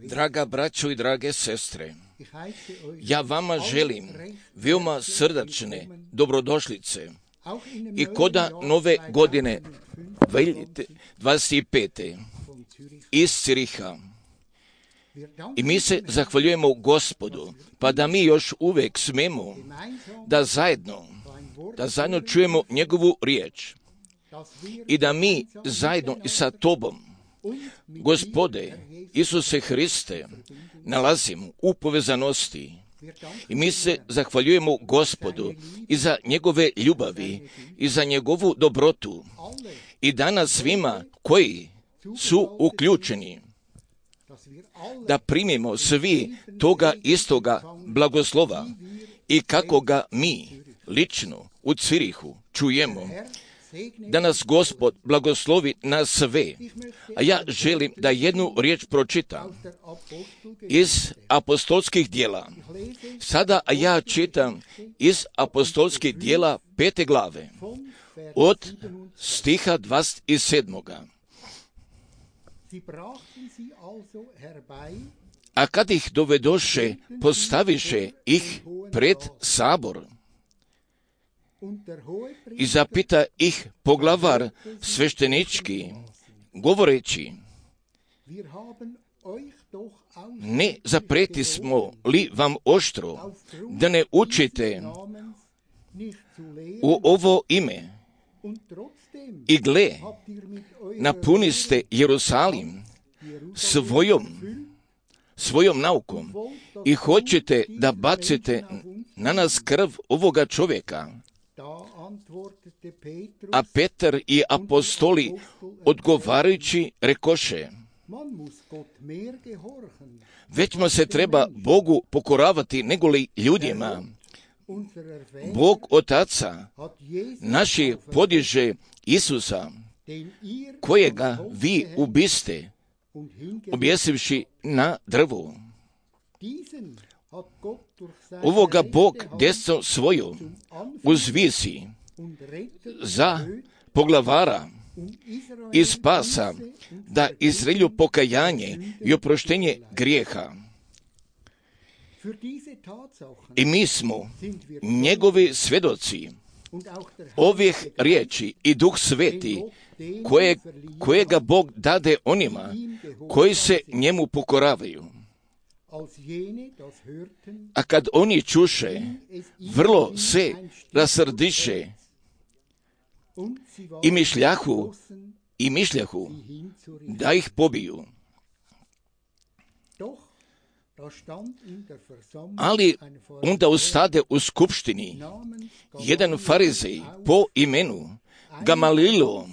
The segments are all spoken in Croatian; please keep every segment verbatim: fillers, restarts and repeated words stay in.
Draga braćo i drage sestre, ja vama želim veoma srdačne dobrodošlice i koda nove godine dvadeset pete iz Ciriha. I mi se zahvaljujemo Gospodu, pa da mi još uvijek smemo da zajedno, da zajedno čujemo njegovu riječ i da mi zajedno i sa Tobom, Gospode Isuse Hriste, nalazimo u povezanosti. I mi se zahvaljujemo Gospodu i za njegove ljubavi i za njegovu dobrotu. I danas svima koji su uključeni da primimo svi toga istoga blagoslova i kako ga mi lično u Cirihu čujemo. Da nas Gospod blagoslovi na sve. A ja želim da jednu riječ pročitam iz apostolskih dijela. Sada ja čitam iz apostolskih dijela pete glave od stiha dvadeset sedam. A kad ih dovedoše, postaviše ih pred sabor. I zapita ih poglavar sveštenički, govoreći: ne zapreti smo li vam oštro, da ne učite u ovo ime? I gle, napuniste Jerusalim svojom, svojom naukom i hoćete da bacite na nas krv ovoga čovjeka. A Petar i apostoli odgovarajući rekoše: većma se treba Bogu pokoravati nego li ljudima. Bog Otaca naši podiže Isusa, kojega vi ubiste, objesivši na drvu. Ovoga Bog desno svoju uzvisi za poglavara i spasa, da Izraelju pokajanje i oproštenje grijeha. I mi smo njegovi svjedoci ovih riječi i Duh Sveti koje, kojega Bog dade onima koji se njemu pokoravaju. A kad oni čuše, vrlo se rasrdiše i mišljahu, i mišljahu da ih pobiju. Ali onda ustade u skupštini jedan farizej po imenu Gamalilo,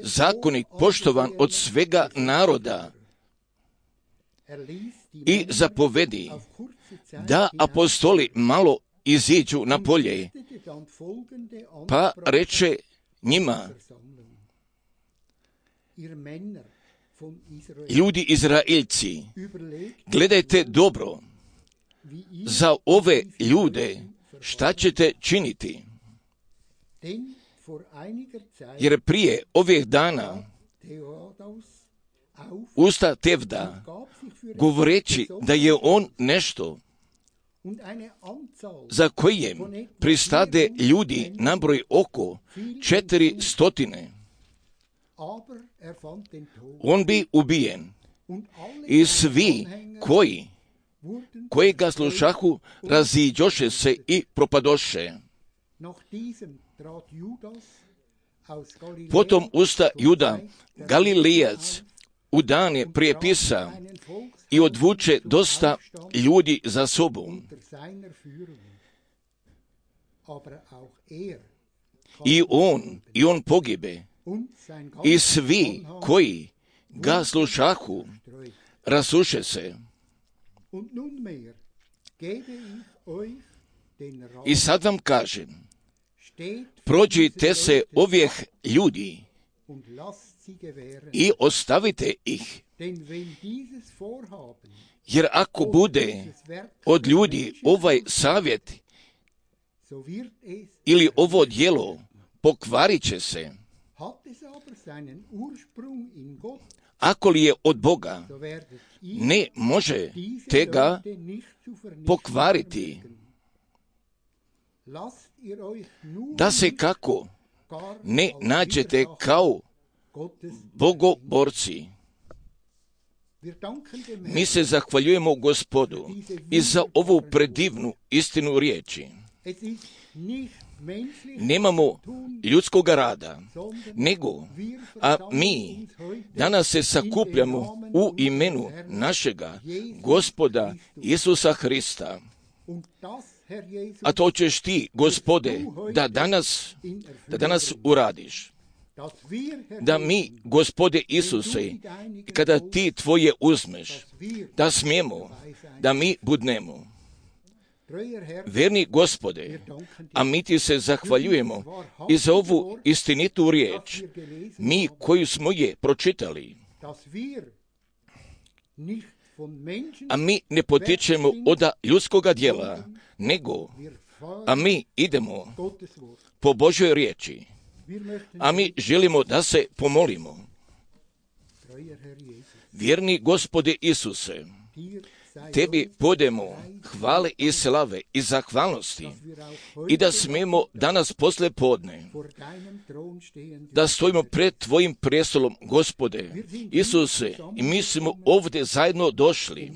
zakonik poštovan od svega naroda, i zapovedi da apostoli malo iziđu na polje, pa reče njima: ljudi Izraeljci, gledajte dobro za ove ljude šta ćete činiti. Jer prije ovih dana usta Tevda, govoreći da je on nešto za kojem pristade ljudi nabroj oko četiri stotine, on bi ubijen. I svi koji, koji ga slušahu, raziđoše se i propadoše. Potom usta Juda, Galilejac, u dane prijepisa i odvuče dosta ljudi za sobom. I on, i on pogibe. I svi koji ga slušahu, rasuše se. I sad vam kažem, prođite se ovih ljudi i ostavite ih. Jer ako bude od ljudi ovaj savjet ili ovo djelo, pokvarit će se. Ako li je od Boga, ne može te ga pokvariti. Da se kako ne nađete kao bogoborci. Mi se zahvaljujemo Gospodu i za ovu predivnu istinu riječi. Nemamo ljudskog rada, nego, a mi danas se sakupljamo u imenu našega Gospoda Isusa Hrista. A to ćeš ti, Gospode, da danas, da danas uradiš. Da mi, Gospode Isuse, kada ti tvoje uzmeš, da smijemo, da mi budnemo. Verni Gospode, a mi ti se zahvaljujemo i za ovu istinitu riječ, mi koju smo je pročitali. A mi ne potičemo od ljudskoga djela, nego, a mi idemo po Božoj riječi. A mi želimo da se pomolimo. Vjerni Gospode Isuse, tebi podemo hvale i slave i zahvalnosti i da smijemo danas posle podne da stojimo pred tvojim prestolom, Gospode Isuse, i mi smo ovdje zajedno došli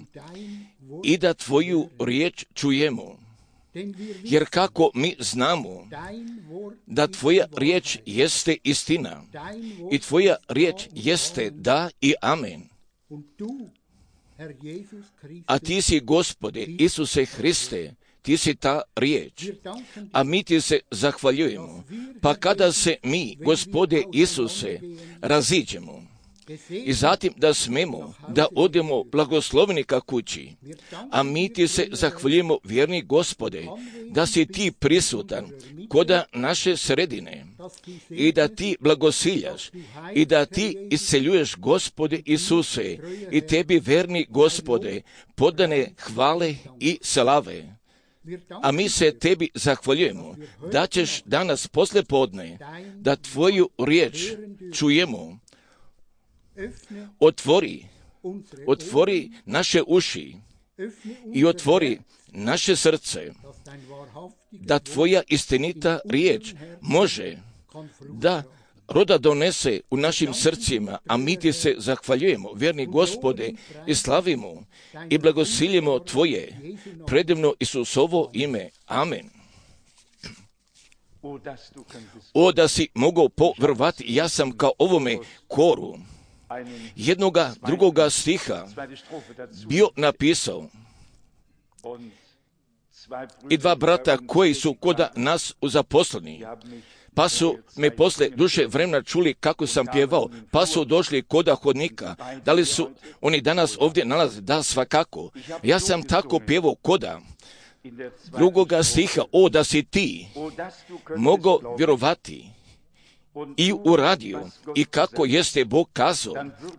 i da tvoju riječ čujemo. Jer kako mi znamo da tvoja riječ jeste istina i tvoja riječ jeste da i amen. A ti si, Gospode Isuse Hriste, ti si ta riječ, a mi ti se zahvaljujemo. Pa kada se mi, Gospode Isuse, raziđemo i zatim da smemo da odemo blagosloveni ka kući, a mi ti se zahvaljujemo, vjerni Gospode, da si ti prisutan koda naše sredine i da ti blagosiljaš i da ti isceljuješ, Gospode Isuse, i tebi, verni Gospode, podane hvale i slave. A mi se tebi zahvaljujemo da ćeš danas posle podne da tvoju riječ čujemo. Otvori, otvori naše uši i otvori naše srce, da tvoja istinita riječ može da roda donese u našim srcima, a mi ti se zahvaljujemo, vjerni Gospode, i slavimo i blagosiljemo tvoje predivno Isusovo ime. Amen. O, da si mogao povjerovati, ja sam kao ovome koru jednoga drugoga stiha bio napisao i dva brata koji su koda nas zaposleni, pa su me posle duže vremena čuli kako sam pjevao, pa su došli koda hodnika. Da li su oni danas ovdje nalaze? Da, svakako. Ja sam tako pjevao koda drugoga stiha, o, da si ti mogao vjerovati i uradio, i kako jeste Bog kazao,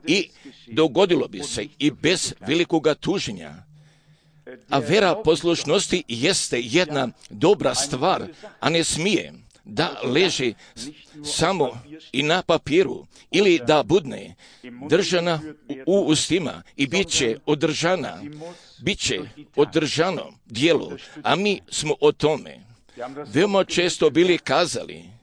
i dogodilo bi se i bez velikoga tuženja. A vera poslušnosti jeste jedna dobra stvar, a ne smije da leži samo i na papiru, ili da budne držana u ustima i bit će održana, bit će održano djelo, a mi smo o tome veoma često bili kazali.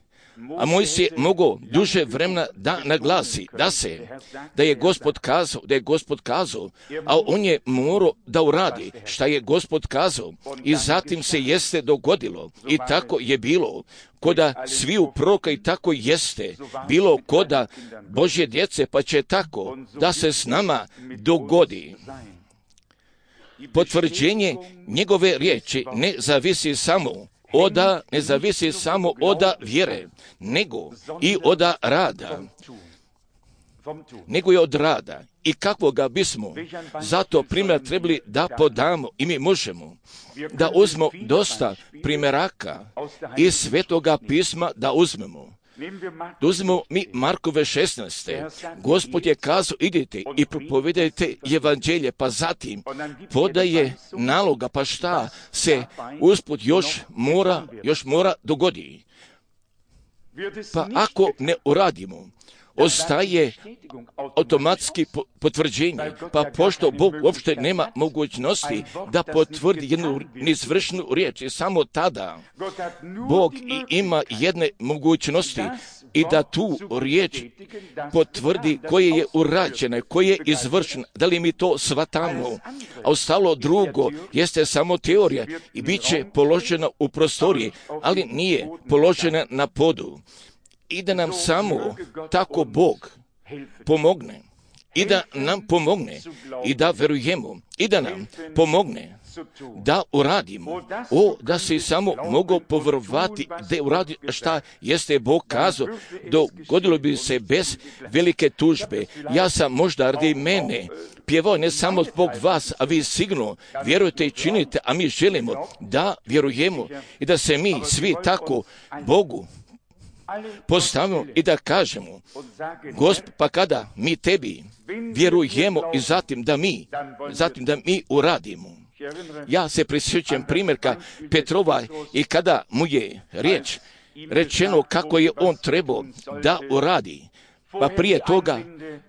A Mojsije je mogao duže vremena da naglasi, da se, da je Gospod kazao, da je Gospod kazao, a on je morao da uradi šta je Gospod kazao, i zatim se jeste dogodilo, i tako je bilo koda sviju proroka, i tako jeste bilo koda Božje djece, pa će tako da se s nama dogodi. Potvrđenje njegove riječi ne zavisi samo oda, ne zavisi samo oda vjere, nego i oda rada. nego je od rada. I kakvoga bismo zato primjer trebali da podamo i mi možemo da uzmemo dosta primjeraka iz Svetoga pisma da uzmemo. Da uzmemo mi Markove šesnaeste. Gospod je kazao, idite i propovedajte evanđelje, pa zatim podaje naloga, pa šta se usput još mora, još mora dogodi. Pa ako ne uradimo, ostaje automatski potvrđenje, pa pošto Bog uopšte nema mogućnosti da potvrdi jednu neizvršnu riječ, i samo tada Bog i ima jedne mogućnosti i da tu riječ potvrdi koje je urađene, koje je izvršeno, da li mi to shvatamo, a ostalo drugo jeste samo teorija i bit će položena u prostoriji, ali nije položena na podu. I da nam samo tako Bog pomogne i da nam pomogne i da verujemo i da nam pomogne da uradimo. O, da se samo mogu povjerovati da uradi šta jeste Bog kazao, dogodilo bi se bez velike tužbe. Ja sam možda radi mene pjevao ne samo zbog vas, a vi sigurno vjerujete i činite, a mi želimo da vjerujemo i da se mi svi tako Bogu postavimo i da kažemo, Gospod, pa kada mi tebi vjerujemo i zatim da mi, zatim da mi uradimo. Ja se prisjećam primjerka Petrova i kada mu je riječ rečeno kako je on trebao da uradi, pa prije toga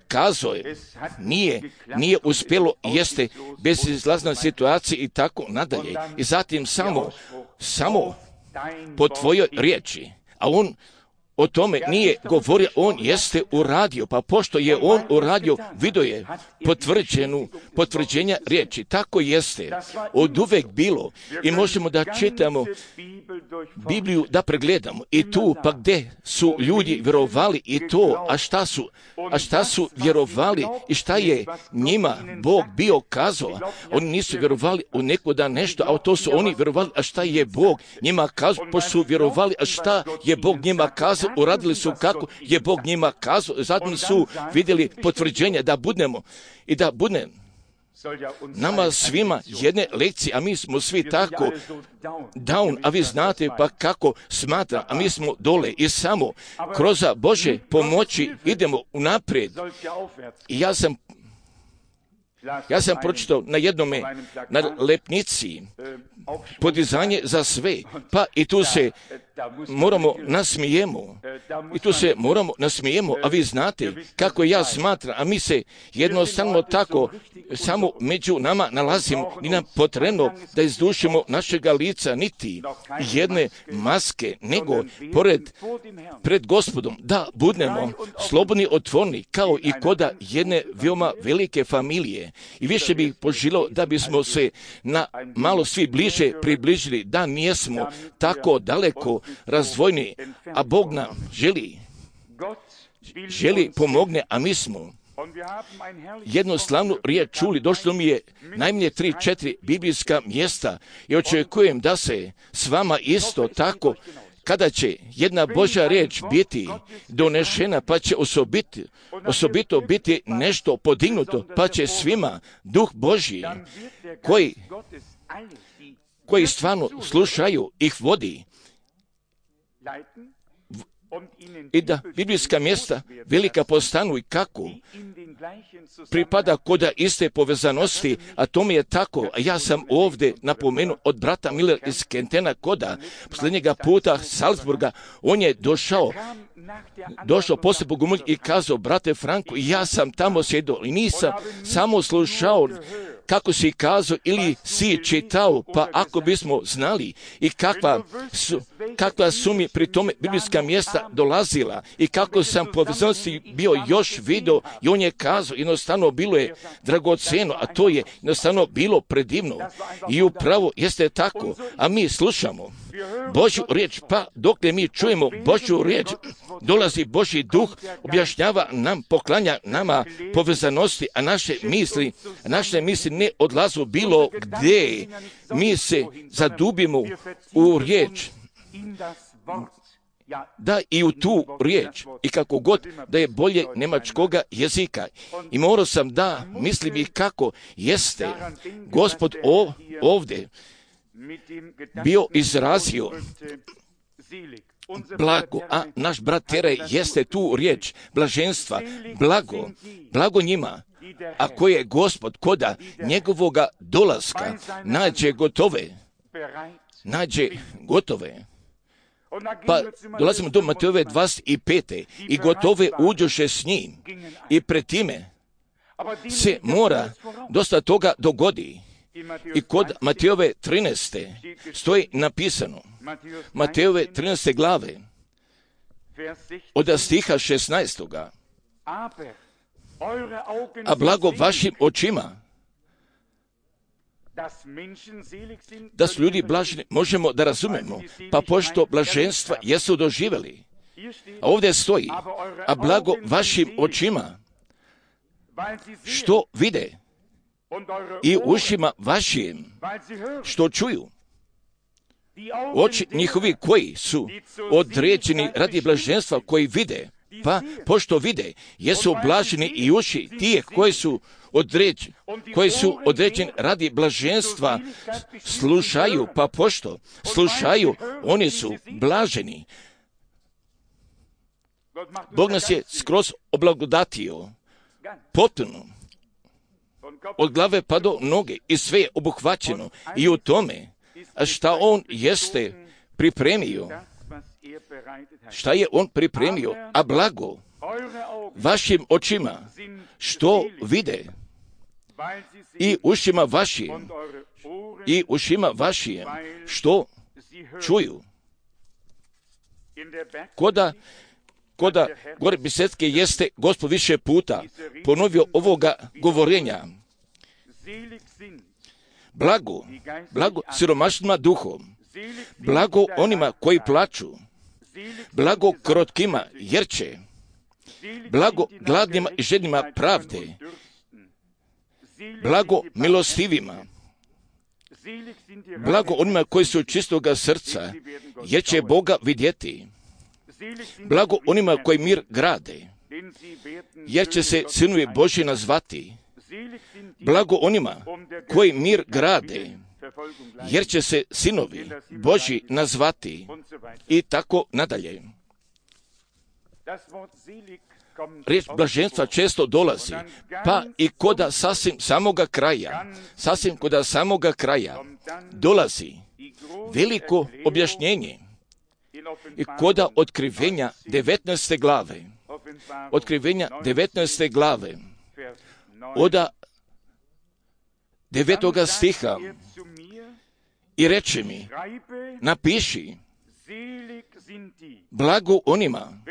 kazao je, nije, nije uspjelo, jeste bezizlazna situacija i tako nadalje. I zatim samo, samo po tvojoj riječi, a on o tome nije govorio, on jeste uradio, pa pošto je on uradio, vidio je potvrđenu, potvrđenja riječi. Tako jeste od uvek bilo i možemo da čitamo Bibliju, da pregledamo i tu pa gdje su ljudi vjerovali i to, a šta su, a šta su vjerovali i šta je njima Bog bio kazao. Oni nisu vjerovali u neko da nešto, a to su oni vjerovali, a šta je Bog njima kazao, pošto su vjerovali, a šta je Bog njima kazao, uradili su kako je Bog njima kazao, zatim su vidjeli potvrđenje da budemo i da bude nama svima jedne lekcije, a mi smo svi tako down, a vi znate pa kako smatra, a mi smo dole i samo kroz Bože pomoći idemo unaprijed. I ja sam Ja sam pročitao na jednome, na lepnici, podizanje za sve, pa i tu se moramo nasmijemo, i tu se moramo nasmijemo, a vi znate kako ja smatram, a mi se jednostavno tako samo među nama nalazimo, ni nam potrebno da izdušimo našega lica, niti jedne maske, nego pored, pred Gospodom, da budemo slobodni, otvorni, kao i koda jedne veoma velike familije. I više bih poželio da bismo se na malo svi bliže približili, da nijesmo tako daleko razdvojni, a Bog nam želi, želi pomogne, a mi smo jednu slavnu riječ čuli. Došlo mi je najmanje tri, četiri biblijska mjesta i očekujem da se s vama isto tako, kada će jedna Božja riječ biti donešena, pa će osobiti, osobito biti nešto podignuto, pa će svima Duh Božji koji, koji stvarno slušaju, ih vodi. I da biblijska mjesta velika postanu i kako pripada koda iste povezanosti, a to mi je tako. A ja sam ovdje napomenuo od brata Miller iz Kentena koda posljednjega puta Salzburga, on je došao došao poslije Bogumilj i kazao, brate Franko, ja sam tamo sjedio i nisam samo slušao kako si kazao ili si čitao, pa ako bismo znali i kakva su, kakva su mi pri tome biblijska mjesta dolazila i kako sam povezanosti bio još vidio i on je kazao, jednostavno bilo je dragoceno, a to je jednostavno bilo predivno i upravo jeste tako, a mi slušamo Božju riječ, pa dokle mi čujemo Božju riječ, dolazi Božji duh, objašnjava nam, poklanja nama povezanosti, a naše misli, naše misli ne odlazu bilo gdje. Mi se zadubimo u riječ da i u tu riječ, i kako god da je bolje njemačkoga jezika. I morao sam da mislim i kako jeste Gospod o, ovdje bio izrazio blago, a naš brat Tere jeste tu riječ blaženstva, blago, blago njima, a koje je Gospod koda njegovoga dolaska nađe gotove, nađe gotove. Pa dolazimo do Matejove dvadeset pete i gotove uđoše s njim i pred time se mora dosta toga dogodi. I kod Matejove trinaeste stoji napisano, Matejove trinaeste glave, od stiha šesnaestoga. A blago vašim očima, da su ljudi blaženi, možemo da razumemo, pa pošto blaženstva jesu doživjeli. A ovdje stoji, a blago vašim očima, što vide, i ušima vašim, što čuju. Oči njihovi koji su određeni radi blaženstva, koji vide, pa pošto vide, jesu blaženi i uši tije koji su određeni, koji su određeni radi blaženstva, slušaju, pa pošto slušaju, oni su blaženi. Bog nas je skroz oblagodatio, potpuno, od glave pa do noge, i sve je obuhvaćeno i u tome, šta on jeste pripremio, šta je on pripremio, a blago vašim očima, što vide, i ušima vašim, i ušima vašim, što čuju. Koda, koda gore Bisetke jeste Gospod više puta ponovio ovoga govorenja. Blago, blago siromašnima duhom, blago onima koji plaču, blago krotkima jer će, blago gladnima i žednima pravde, blago milostivima, blago onima koji su čistoga srca jer će Boga vidjeti, blago onima koji mir grade jer će se sinovi Božji nazvati, blago onima koji mir grade jer će se sinovi Božji nazvati, i tako nadalje. Riječ blaženstva često dolazi, pa i koda sasvim samoga kraja, sasvim koda samoga kraja dolazi veliko objašnjenje. I koda otkrivenja devetnaeste glave, otkrivenja devetnaeste glave, oda devetoga stiha, i reče mi, napiši, blago onima,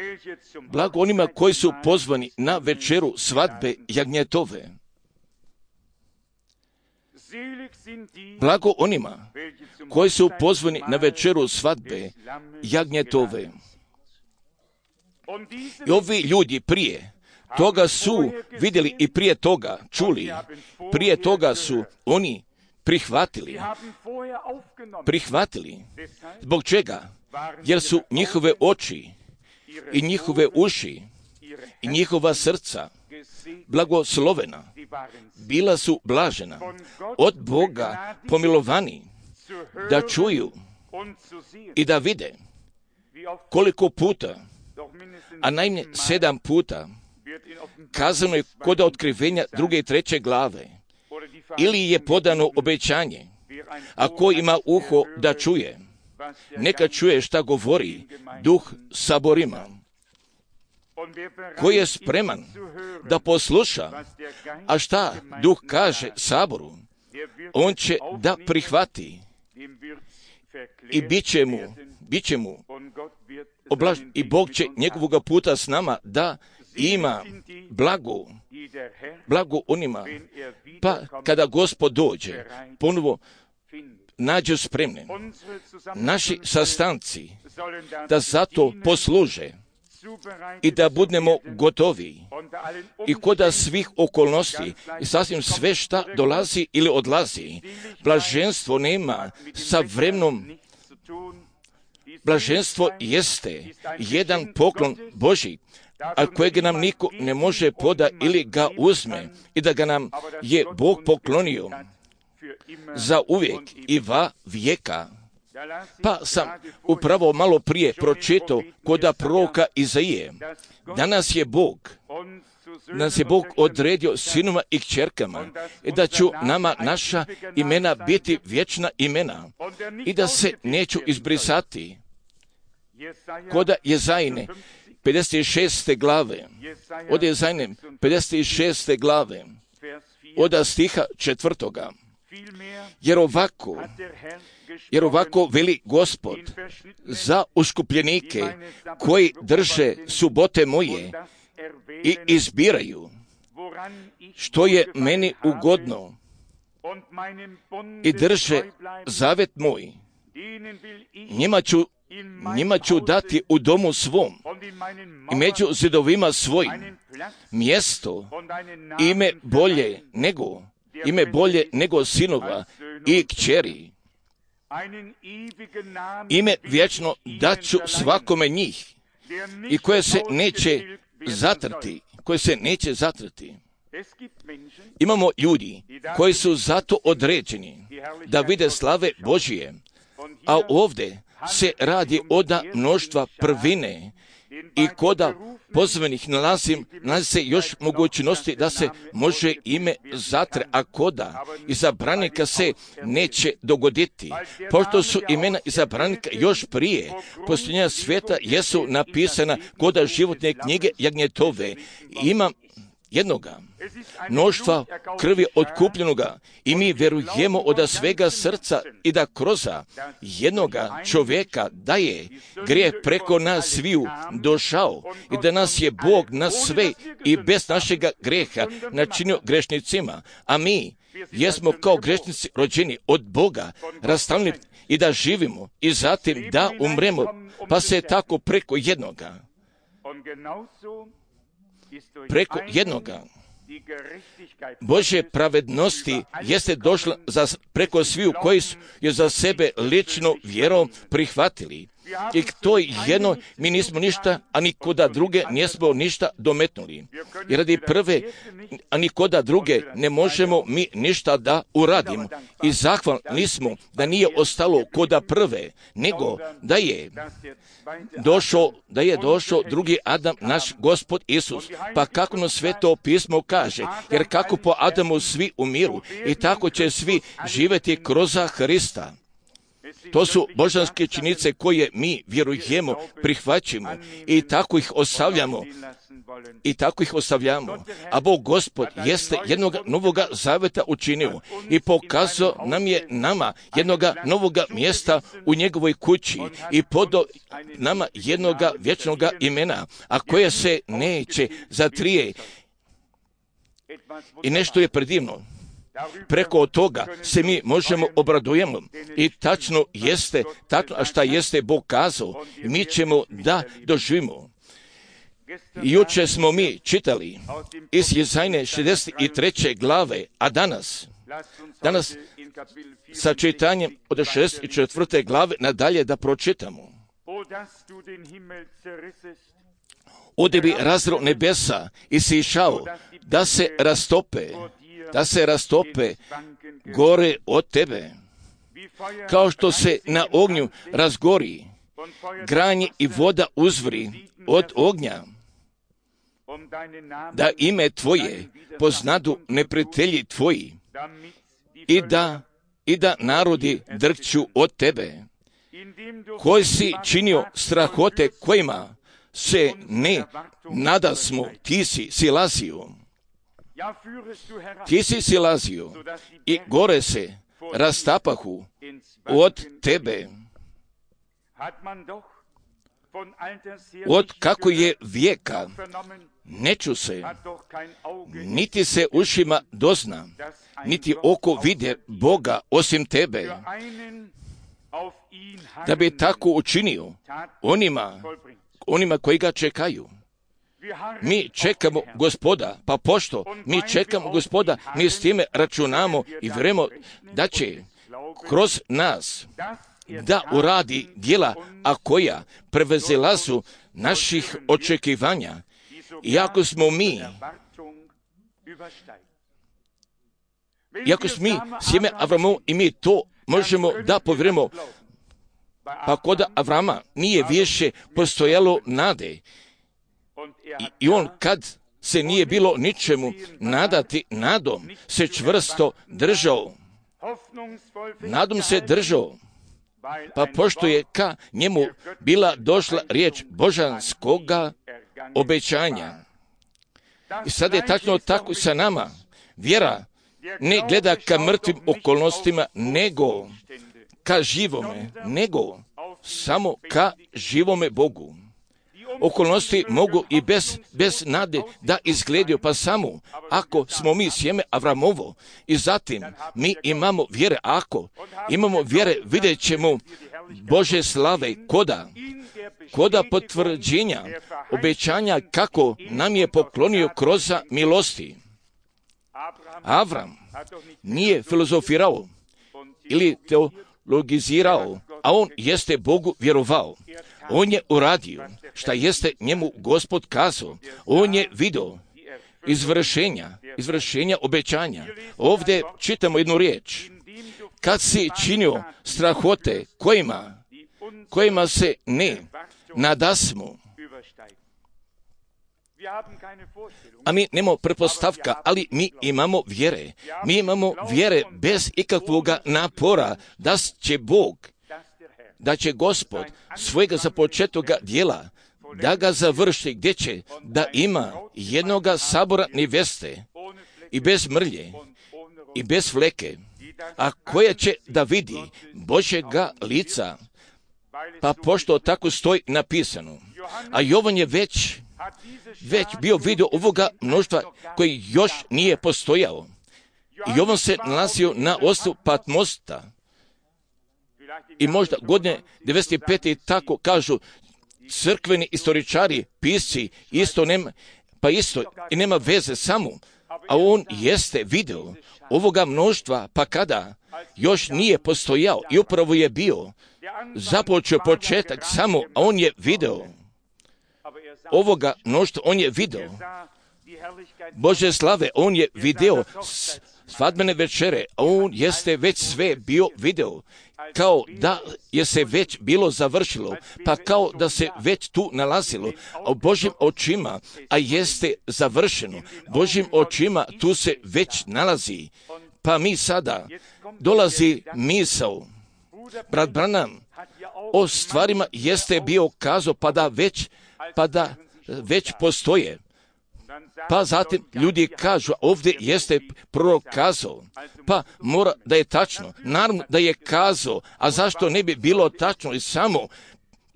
blago onima koji su pozvani na večeru svadbe jagnjetove. Blago onima koji su pozvani na večeru svadbe jagnjetove. I ovi ljudi prije toga su vidjeli i prije toga čuli, prije toga su oni prihvatili, prihvatili. Zbog čega? Jer su njihove oči i njihove uši i njihova srca blagoslovena, bila su blažena, od Boga pomilovani, da čuju i da vide. Koliko puta, a najmanje sedam puta, kazano je kod otkrivenja druge i treće glave, ili je podano obećanje, a ko ima uho da čuje, neka čuje šta govori Duh saborima. Ko je spreman da posluša, a šta Duh kaže saboru, on će da prihvati i bit će mu, bit će mu oblaž, i Bog će njegovoga puta s nama da ima blago, blago onima, pa kada Gospod dođe, ponovo nađe spremne. Naši sastanci da zato posluže i da budemo gotovi i koda svih okolnosti i sasvim sve šta dolazi ili odlazi. Blaženstvo nema sa vremenom blaženstvo jeste jedan poklon Božji, a kojeg nam niko ne može poda ili ga uzme, i da ga nam je Bog poklonio za uvijek i va vijeka. Pa sam upravo malo prije pročitao koda proroka Izaije. Danas je Bog, nas je Bog odredio sinovima i kćerkama, i da ću nama naša imena biti vječna imena i da se neću izbrisati. Koda Jezajine pedeset šeste glave, od Jezajine pedeset šeste glave, od stiha četvrtoga. Jer ovako, jer ovako veli Gospod za uskupljenike koji drže subote moje i izbiraju što je meni ugodno i drže zavet moj, njima ću, njima ću dati u domu svom i među zidovima svojim mjesto, ime bolje nego, ime bolje nego sinova i kćeri. Ime vječno daću svakome njih i koje se neće zatrti, koje se neće zatrti. Imamo ljudi koji su zato određeni da vide slave Božije, a ovdje se radi oda mnoštva prvine i koda pozvanih nalazim, nalazi se još mogućnosti da se može ime zatre, a koda izabranika se neće dogoditi. Pošto su imena izabranika još prije posljednja svijeta jesu napisana koda životne knjige jagnjetove. Imam jednoga mnoštva krvi otkupljenoga i mi vjerujemo od svega srca i da kroz jednoga čovjeka da je grijeh preko nas sviju došao i da nas je Bog na sve i bez našega grijeha načinio grešnicima, a mi jesmo kao grešnici rođeni od Boga, rastavljeni i da živimo i zatim da umremo, pa se tako preko jednoga preko jednoga Božje pravednosti jeste došla za, preko sviju koji su je za sebe lično vjerom prihvatili. I k toj jedno mi nismo ništa, a nikoda druge nismo ništa dometnuli. I radi prve, a nikoda druge ne možemo mi ništa da uradimo. I zahvalni smo da nije ostalo koda prve, nego da je došao, da je došao drugi Adam, naš Gospod Isus. Pa kako nam Sveto pismo kaže, jer kako po Adamu svi umiru, i tako će svi živjeti kroz Hrista. To su božanske činjenice koje mi vjerujemo, prihvaćamo i tako ih ostavljamo. I tako ih ostavljamo. A Bog Gospod jeste jednog novoga zaveta učinio i pokazao nam je nama jednoga novoga mjesta u njegovoj kući i podo nama jednoga vječnoga imena, a koje se neće zatrije. I nešto je predivno. Preko toga se mi možemo obradujemo i tačno jeste, tačno, a šta jeste Bog kazao, mi ćemo da doživimo. Juče smo mi čitali iz Jezajne šezdeset treće glave, a danas, danas sa čitanjem od šezdeset četvrte glave nadalje da pročitamo. Ode bi razro nebesa i si išao da se rastope, da se rastope gore od tebe, kao što se na ognju razgori granje i voda uzvri od ognja, da ime tvoje poznadu neprijatelji tvoji i da, i da narodi drkću od tebe, koji si činio strahote kojima se ne nadasmo, ti si silazio. Ti si silazio i gore se rastapahu od tebe. Od kako je vijeka ne ču se, niti se ušima dozna, niti oko vide Boga osim tebe, da bi tako učinio onima, onima koji ga čekaju. Mi čekamo Gospoda, pa pošto mi čekamo Gospoda, mi s time računamo i vjerujemo da će kroz nas da uradi djela, a koja prevazilazu naših očekivanja. Iako smo mi, iako smo mi sjeme Avramovo i mi to možemo da povjerujemo, pa kod Avrama nije više postojalo nade. I, I on kad se nije bilo ničemu nadati, nadom se čvrsto držao. Nadom se držao, pa pošto je ka njemu bila došla riječ božanskoga obećanja. I sad je tačno tako sa nama. Vjera ne gleda ka mrtvim okolnostima, nego ka živome, nego samo ka živome Bogu. Okolnosti mogu i bez, bez nade da izgledaju, pa samo ako smo mi sjeme Avramovo i zatim mi imamo vjere, ako imamo vjere, vidjet ćemo Bože slave koda, koda potvrđenja, obećanja kako nam je poklonio kroz milosti. Avram nije filozofirao ili teologizirao, a on jeste Bogu vjerovao. On je uradio šta jeste njemu Gospod kazao. On je vidio izvršenja, izvršenja obećanja. Ovdje čitamo jednu riječ. Kad si činio strahote kojima, kojima se ne nadasmo, a mi nemamo pretpostavka, ali mi imamo vjere. Mi imamo vjere bez ikakvoga napora da će Bog, da će Gospod svojega započetoga djela, da ga završi, gdje će da ima jednoga sabora neveste i bez mrlje i bez fleke, a koja će da vidi Božjega lica, pa pošto tako stoji napisano. A Jovan je već, već bio vidio ovoga mnoštva koji još nije postojao. Jovan se nalazio na ostrvu Patmosta. I možda godine devedeset pete tako kažu crkveni istoričari, pisci, isto nema, pa isto i nema veze samo, a on jeste video ovoga mnoštva, pa kada još nije postojao i upravo je bio započeo početak samo, a on je video ovoga mnoštva, on je video Bože slave, on je video svadbene večere, a on jeste već sve bio video, kao da je se već bilo završilo, pa kao da se već tu nalazilo, a u Božjim očima, a jeste završeno, Božjim očima tu se već nalazi, pa mi sada dolazi misao, brat Branham o stvarima jeste bio kazao, pa da već, pa da već postoje. Pa zatim ljudi kažu, ovdje jeste prorok kazao, pa mora da je tačno. Naravno da je kazao, a zašto ne bi bilo tačno i samo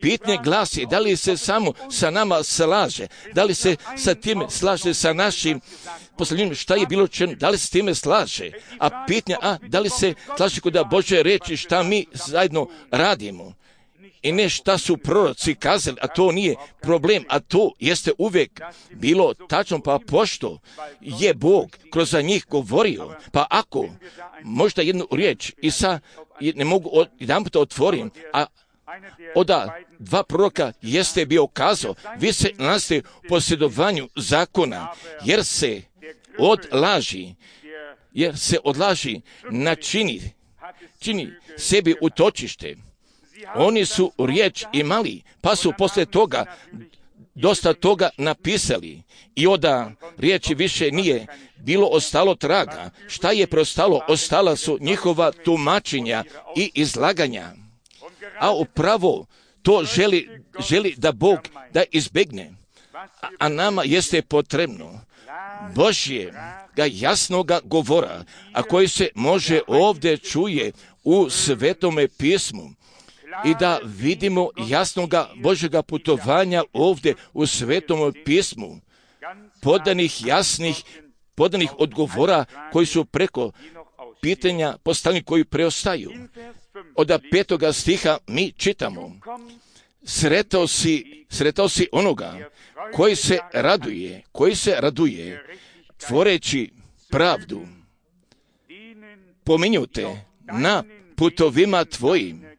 pitanje glasi, da li se samo sa nama slaže, da li se sa time slaže sa našim poslanjem, šta je bilo čeno, da li se s time slaže, a pitanje, a da li se slaže kod Božje reči šta mi zajedno radimo. I ne šta su proroci kazali, a to nije problem, a to jeste uvijek bilo tačno, pa pošto je Bog kroz njih govorio, pa ako možda jednu riječ i sa, ne mogu od, jedan puta otvorim, a oda dva proroka jeste bio kazao, vi se nalazite u posjedovanju zakona, jer se od laži, jer se od laži načini, čini sebi utočište. Oni su riječ imali, pa su poslije toga dosta toga napisali i onda riječi više nije bilo ostalo traga. Šta je preostalo? Ostala su njihova tumačenja i izlaganja. A upravo to želi, želi da Bog da izbjegne. A, a nama jeste potrebno Božjega jasnoga govora, a koji se može ovdje čuje u Svetome pismu. I da vidimo jasnoga Božjega putovanja ovdje u Svetom pismu, podanih jasnih, podanih odgovora koji su preko pitanja postavljeni koji preostaju. Od petoga stiha mi čitamo, sretao si, sretao si onoga koji se raduje, koji se raduje, tvoreći pravdu. Pominju te na putovima tvojim,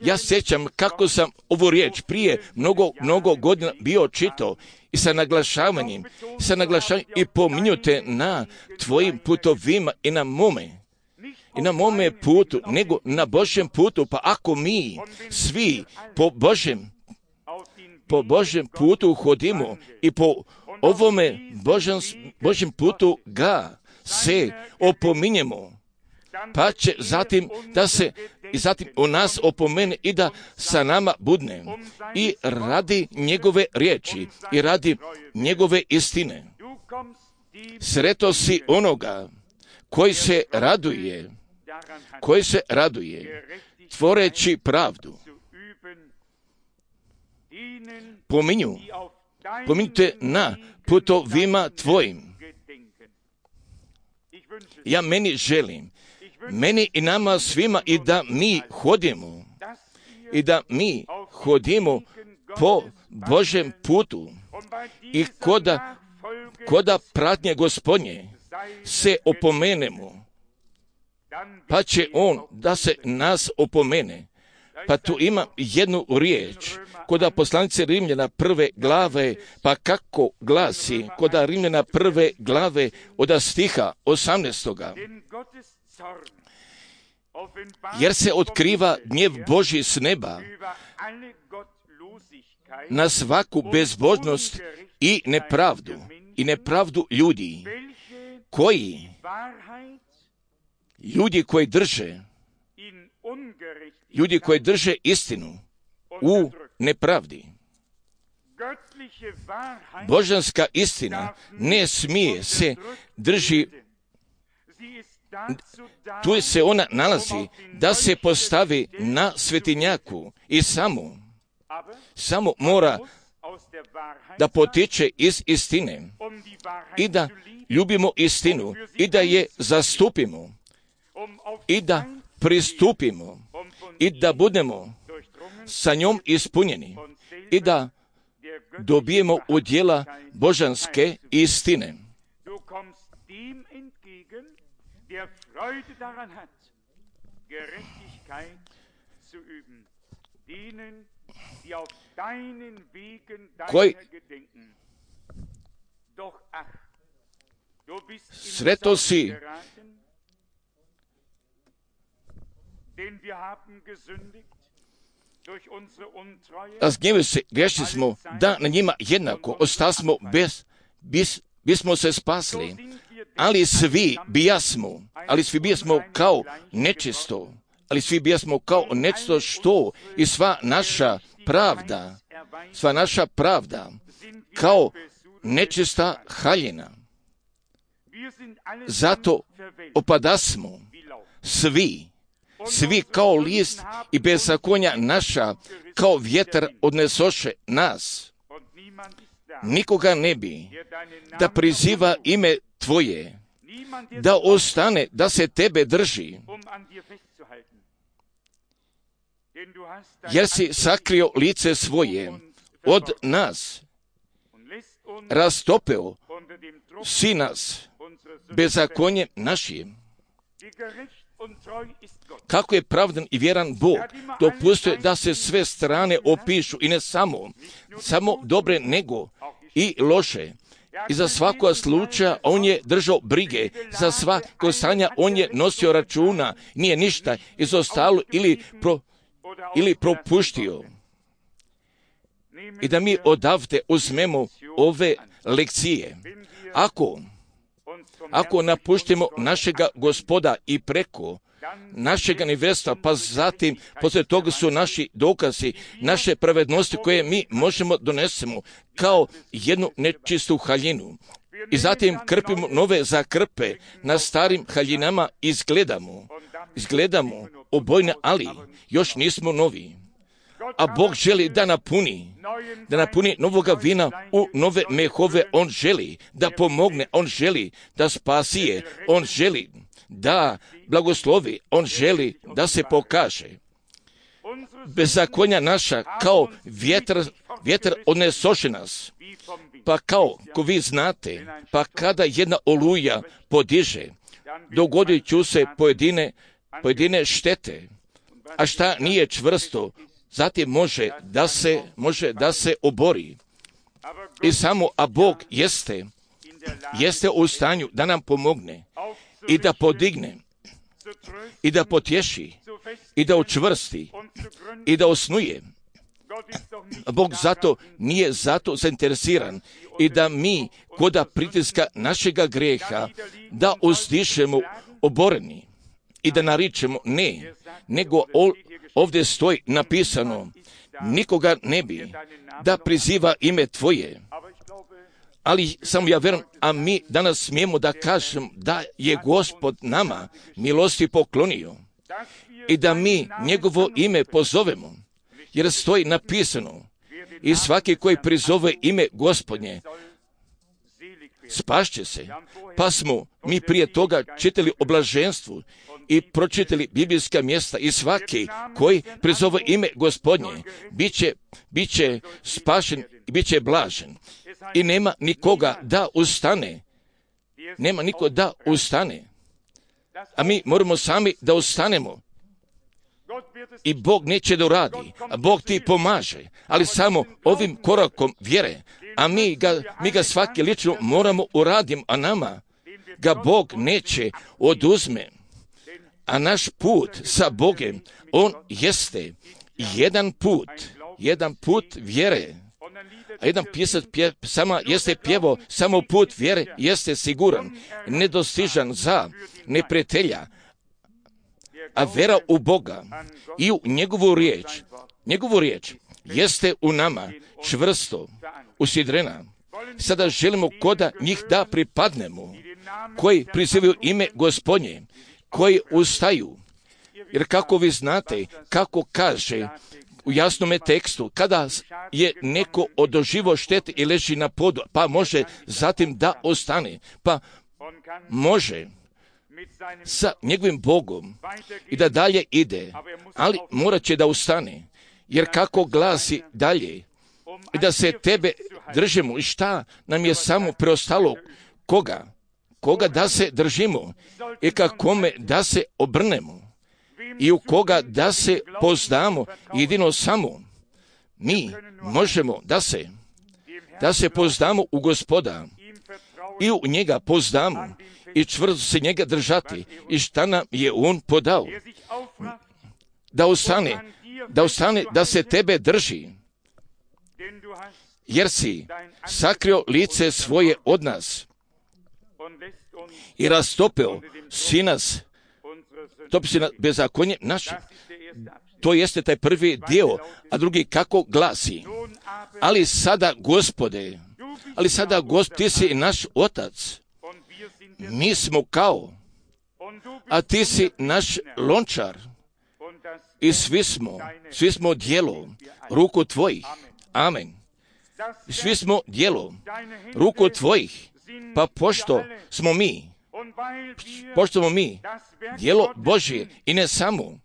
Ja sjećam kako sam ovu riječ prije mnogo, mnogo godina bio čitao i sa naglašavanjem, sa naglašavanjem i pominjute na tvojim putovima i na mome, i na mome putu, nego na Božjem putu. Pa ako mi svi po Božjem, po Božjem putu hodimo i po ovome Božjem, Božjem putu ga se opominjemo, pa će zatim da se i zatim u nas opomene i da sa nama budne i radi njegove riječi i radi njegove istine. Sreto si onoga koji se raduje, koji se raduje tvoreći pravdu. Pominju, pominjte na putovima tvojim. Ja meni želim, meni i nama svima i da mi hodimo, i da mi hodimo po Božjem putu i koda, koda pratnje Gospodnje se opomenemo, pa će On da se nas opomene. Pa tu ima jednu riječ, koda poslanice Rimljana prve glave, pa kako glasi, koda Rimljana prve glave od stiha osamnaestoga. Jer se otkriva gnjev Božji s neba na svaku bezbožnost i nepravdu, i nepravdu ljudi, koji, ljudi koji drže, ljudi koji drže istinu u nepravdi. Božanska istina ne smije se drži, tu se ona nalazi da se postavi na svetinjaku i samo, samo mora da potiče iz istine i da ljubimo istinu i da je zastupimo i da pristupimo i da budemo sa njom ispunjeni i da dobijemo udjela božanske istine. Koji sreto si, razgnjevili se, grešili smo, da na njima jednako ostasmo bez, bis, bismo se spasli, ali svi bijasmo, ali svi bijasmo kao nečisto, ali svi bijasmo kao nečisto što i sva naša pravda, sva naša pravda kao nečista haljina. Zato opadasmo svi, svi kao list i bezakonja naša kao vjetar odnesoše nas. Nikoga ne bi da priziva ime tvoje, da ostane, da se tebe drži, jer si sakrio lice svoje od nas, rastopeo si nas bezakonjem našim. Kako je pravdan i vjeran Bog, dopustuje da se sve strane opišu i ne samo, samo dobre nego i loše. I za svakog slučaja on je držao brige, za svako stanja on je nosio računa, nije ništa izostalo ili, pro, ili propuštio. I da mi odavde uzmemo ove lekcije. Ako, ako napuštimo našega Gospoda i preko našega nevesta, pa zatim poslije toga su naši dokazi, naše pravednosti koje mi možemo donesemo kao jednu nečistu haljinu. I zatim krpimo nove zakrpe na starim haljinama i izgledamo, izgledamo obojne, ali još nismo novi. A Bog želi da napuni, da napuni novoga vina u nove mehove. On želi da pomogne, on želi da spasije, on želi da blagoslovi, on želi da se pokaže. Bezakonja naša kao vjetar, vjetar odnesoše nas, pa kao, ko vi znate, pa kada jedna oluja podiže, dogodit ću se pojedine, pojedine štete, a šta nije čvrsto, zatim može da se, može da se obori. I samo, a Bog jeste, jeste u stanju da nam pomogne i da podigne i da potješi i da učvrsti i da osnuje. Bog zato nije zato zainteresiran i da mi koda pritiska našega greha da uzdišemo oboreni i da naričemo ne, nego ovdje stoji napisano nikoga ne bi da priziva ime tvoje. Ali samo ja vjerujem, a mi danas smijemo da kažem da je Gospod nama milosti poklonio i da mi njegovo ime pozovemo, jer stoji napisano i svaki koji prizove ime Gospodnje spašće se. Pa smo mi prije toga čitali o blaženstvu i pročitali biblijska mjesta i svaki koji prizove ime Gospodnje bit će, bit će spašen i bit će blažen. I nema nikoga da ustane. Nema niko da ustane. A mi moramo sami da ustanemo. I Bog neće da uradi, a Bog ti pomaže, ali samo ovim korakom vjere, a mi ga, mi ga svaki lično moramo uraditi, a nama ga Bog neće oduzme. A naš put sa Bogem, on jeste jedan put, jedan put vjere. A jedan pisac pje, sama jeste pjevo, samo put vjere jeste siguran, nedostižan za neprijatelja, a vera u Boga i u njegovu riječ, njegovu riječ jeste u nama čvrsto usidrena. Sada želimo koda njih da pripadnemo, koji prizivaju ime Gospodnje, koji ustaju. Jer kako vi znate, kako kaže u jasnome tekstu, kada je neko odoživo štete i leži na podu, pa može zatim da ostane, pa može sa njegovim Bogom i da dalje ide, ali morat će da ustane, jer kako glasi dalje, i da se tebe držimo, i šta nam je samo preostalo, koga, koga da se držimo, i ka kome da se obrnemo, i u koga da se pozdamo, jedino samo mi možemo da se, da se pozdamo u Gospoda, i u njega pozdamo, i čvrsto se njega držati, i šta nam je on podao, da ostane, da ostane, da se tebe drži, jer si sakrio lice svoje od nas i rastopeo si nas, topi si na bezakonje naše. To jeste taj prvi dio, a drugi kako glasi. Ali sada, Gospode, ali sada, Gospod, ti si naš otac. Mi smo kao, a ti si naš lončar. I svi smo, svi smo djelo ruku tvojih. Amen. Svi smo djelo ruku tvojih. Pa pošto smo mi, pošto smo mi djelo Božje i ne samo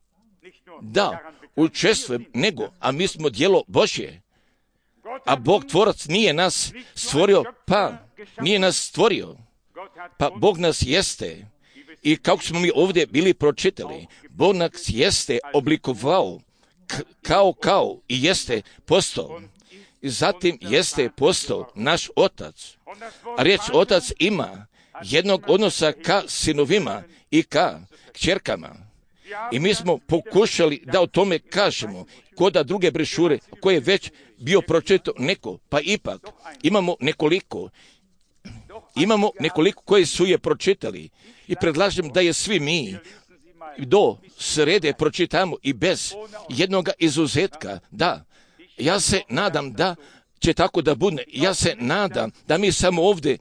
da učestvujem, nego, a mi smo djelo Božje. A Bog tvorac nije nas stvorio, pa nije nas stvorio. Pa Bog nas jeste, i kako smo mi ovdje bili pročitali, Bog nas jeste oblikovao k- kao kao i jeste postao. I zatim jeste postao naš otac. A riječ otac ima jednog odnosa ka sinovima i ka kćerkama. I mi smo pokušali da o tome kažemo, koda druge brešure koje je već bio pročitao neko, pa ipak imamo nekoliko, imamo nekoliko koji su je pročitali i predlažem da je svi mi do srede pročitamo i bez jednoga izuzetka. Da, ja se nadam da će tako da bude. Ja se nadam da mi samo ovdje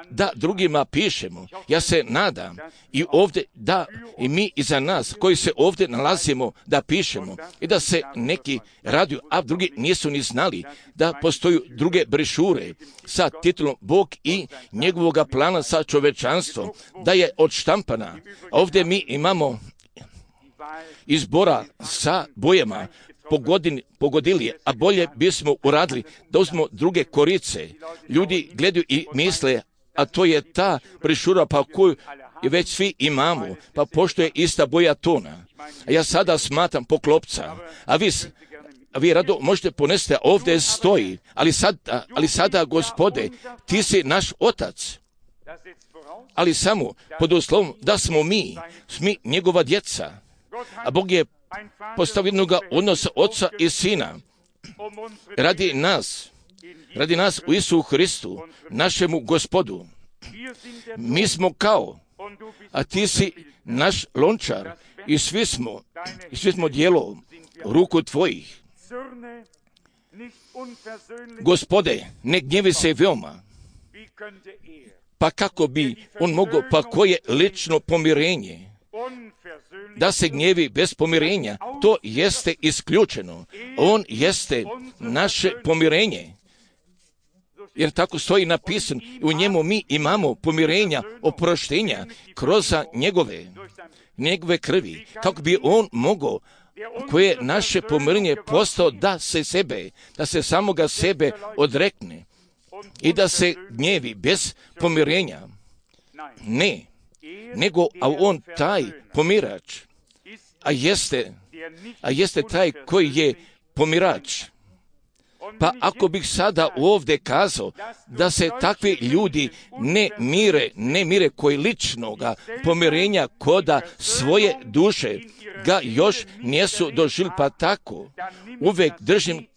da drugima pišemo. Ja se nadam i ovdje da i mi iza nas koji se ovdje nalazimo da pišemo i da se neki raduju, a drugi nisu ni znali da postoju druge brešure sa titulom Bog i njegovoga plana sa čovečanstvom, da je odštampana. Ovdje mi imamo izbora sa bojama pogodini, pogodili, a bolje bismo uradili da uzmemo druge korice. Ljudi gledaju i misle, a to je ta brešura pa koju i već svi imamo, pa pošto je ista boja tona. A ja sada smatram poklopca, a vi, a vi rado možete ponesti, ovdje stoji, ali sada, ali sada, Gospode, ti si naš otac. Ali samo pod uslovom da smo mi, mi njegova djeca. A Bog je postavio jednog odnosa oca i sina radi nas, radi nas u Isusu Hristu, našemu Gospodu. Mi smo kao, a ti si naš lončar i svi smo, i svi smo dijelo ruku tvojih. Gospode, ne gnjevi se veoma. Pa kako bi on mogao, pa koje lično pomirenje? Da se gnjevi bez pomirenja, to jeste isključeno. On jeste naše pomirenje. Jer tako stoji napisano, u njemu mi imamo pomirenja, oproštenja, kroz njegove, njegove krvi. Kako bi on mogao, koje naše pomirenje postao da se sebe, da se samoga sebe odrekne i da se gnjevi bez pomirenja. Ne, nego, a on taj pomirač, a jeste, a jeste taj koji je pomirač. Pa ako bih sada ovdje kazao da se takvi ljudi ne mire, ne mire koji ličnoga pomirenja koda svoje duše ga još nisu doživjeli, pa tako uvijek držim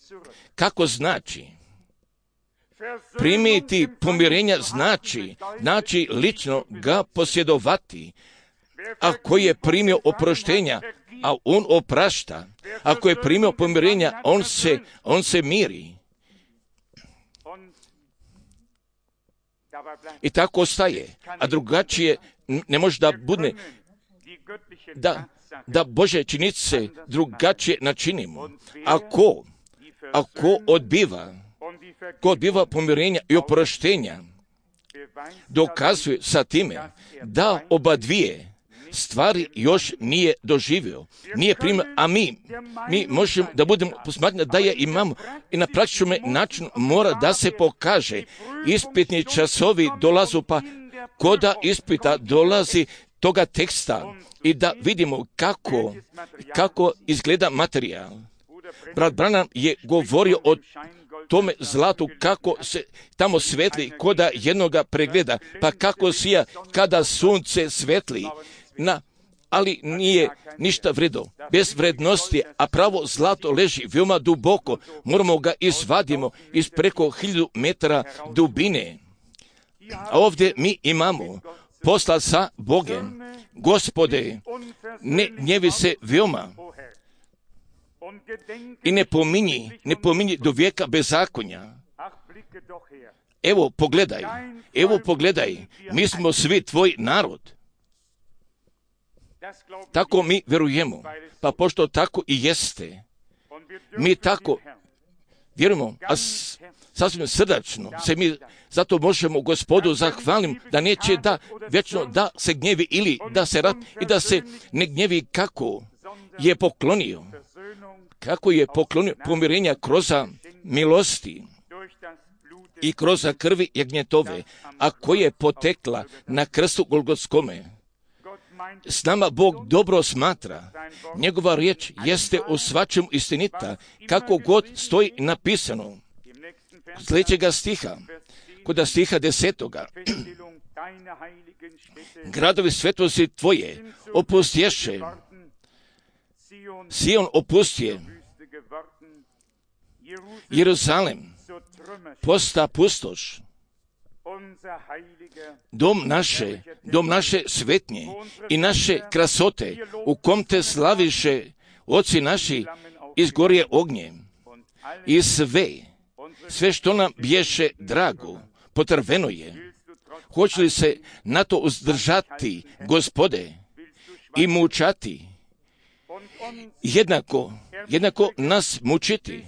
kako znači. Primiti pomirenja znači, znači lično ga posjedovati. Ako je primio oproštenja, a on oprašta. Ako je primio pomirenja, on se, on se miri. I tako ostaje. A drugačije ne može da bude da, da Bože činice drugačije načinimo. Ako, ako odbiva, ko odbiva pomirenja i oproštenja, dokazuje sa time da oba dvije stvari još nije doživio, nije primio, a mi, mi možemo da budemo posmatrani da je imamo i na praktičnom načinu mora da se pokaže. Ispitni časovi dolazu, pa koda ispita dolazi toga teksta i da vidimo kako, kako izgleda materijal. Brat Branham je govorio o tome zlatu kako se tamo svetli koda jednoga pregleda, pa kako sija kada sunce svetli. Na, ali nije ništa vredo, bez vrednosti, a pravo zlato leži veoma duboko, moramo ga izvadimo iz preko hiljadu metara dubine. A ovdje mi imamo posla sa Bogem. Gospode, ne gnjevi se veoma i ne pominji, ne pominji do vijeka bezakonja. Evo pogledaj, evo pogledaj, mi smo svi tvoj narod. Tako mi vjerujemo, pa pošto tako i jeste, mi tako vjerujemo, a sasvim srdačno se mi zato možemo Gospodu zahvalim da neće da vječno da se gnjevi ili da se rad i da se ne gnjevi kako je poklonio, kako je poklonio pomirenja kroz milosti i kroz krvi jagnjetove, a koja je potekla na krstu Golgotskome. S nama Bog dobro smatra. Njegova riječ jeste u svačemu istinita, kako god stoji napisano. Sljedećega stiha, kod stiha desetoga. Gradovi svetosti tvoje opustješe. Sion opustije. Jeruzalem posta pustoš. Dom naše, dom naše svetnje i naše krasote, u kom te slaviše oci naši, izgorje ognjem. I sve, sve što nam bješe drago, potrveno je. Hoće li se na to uzdržati, Gospode, i mučati? Jednako, jednako nas mučiti.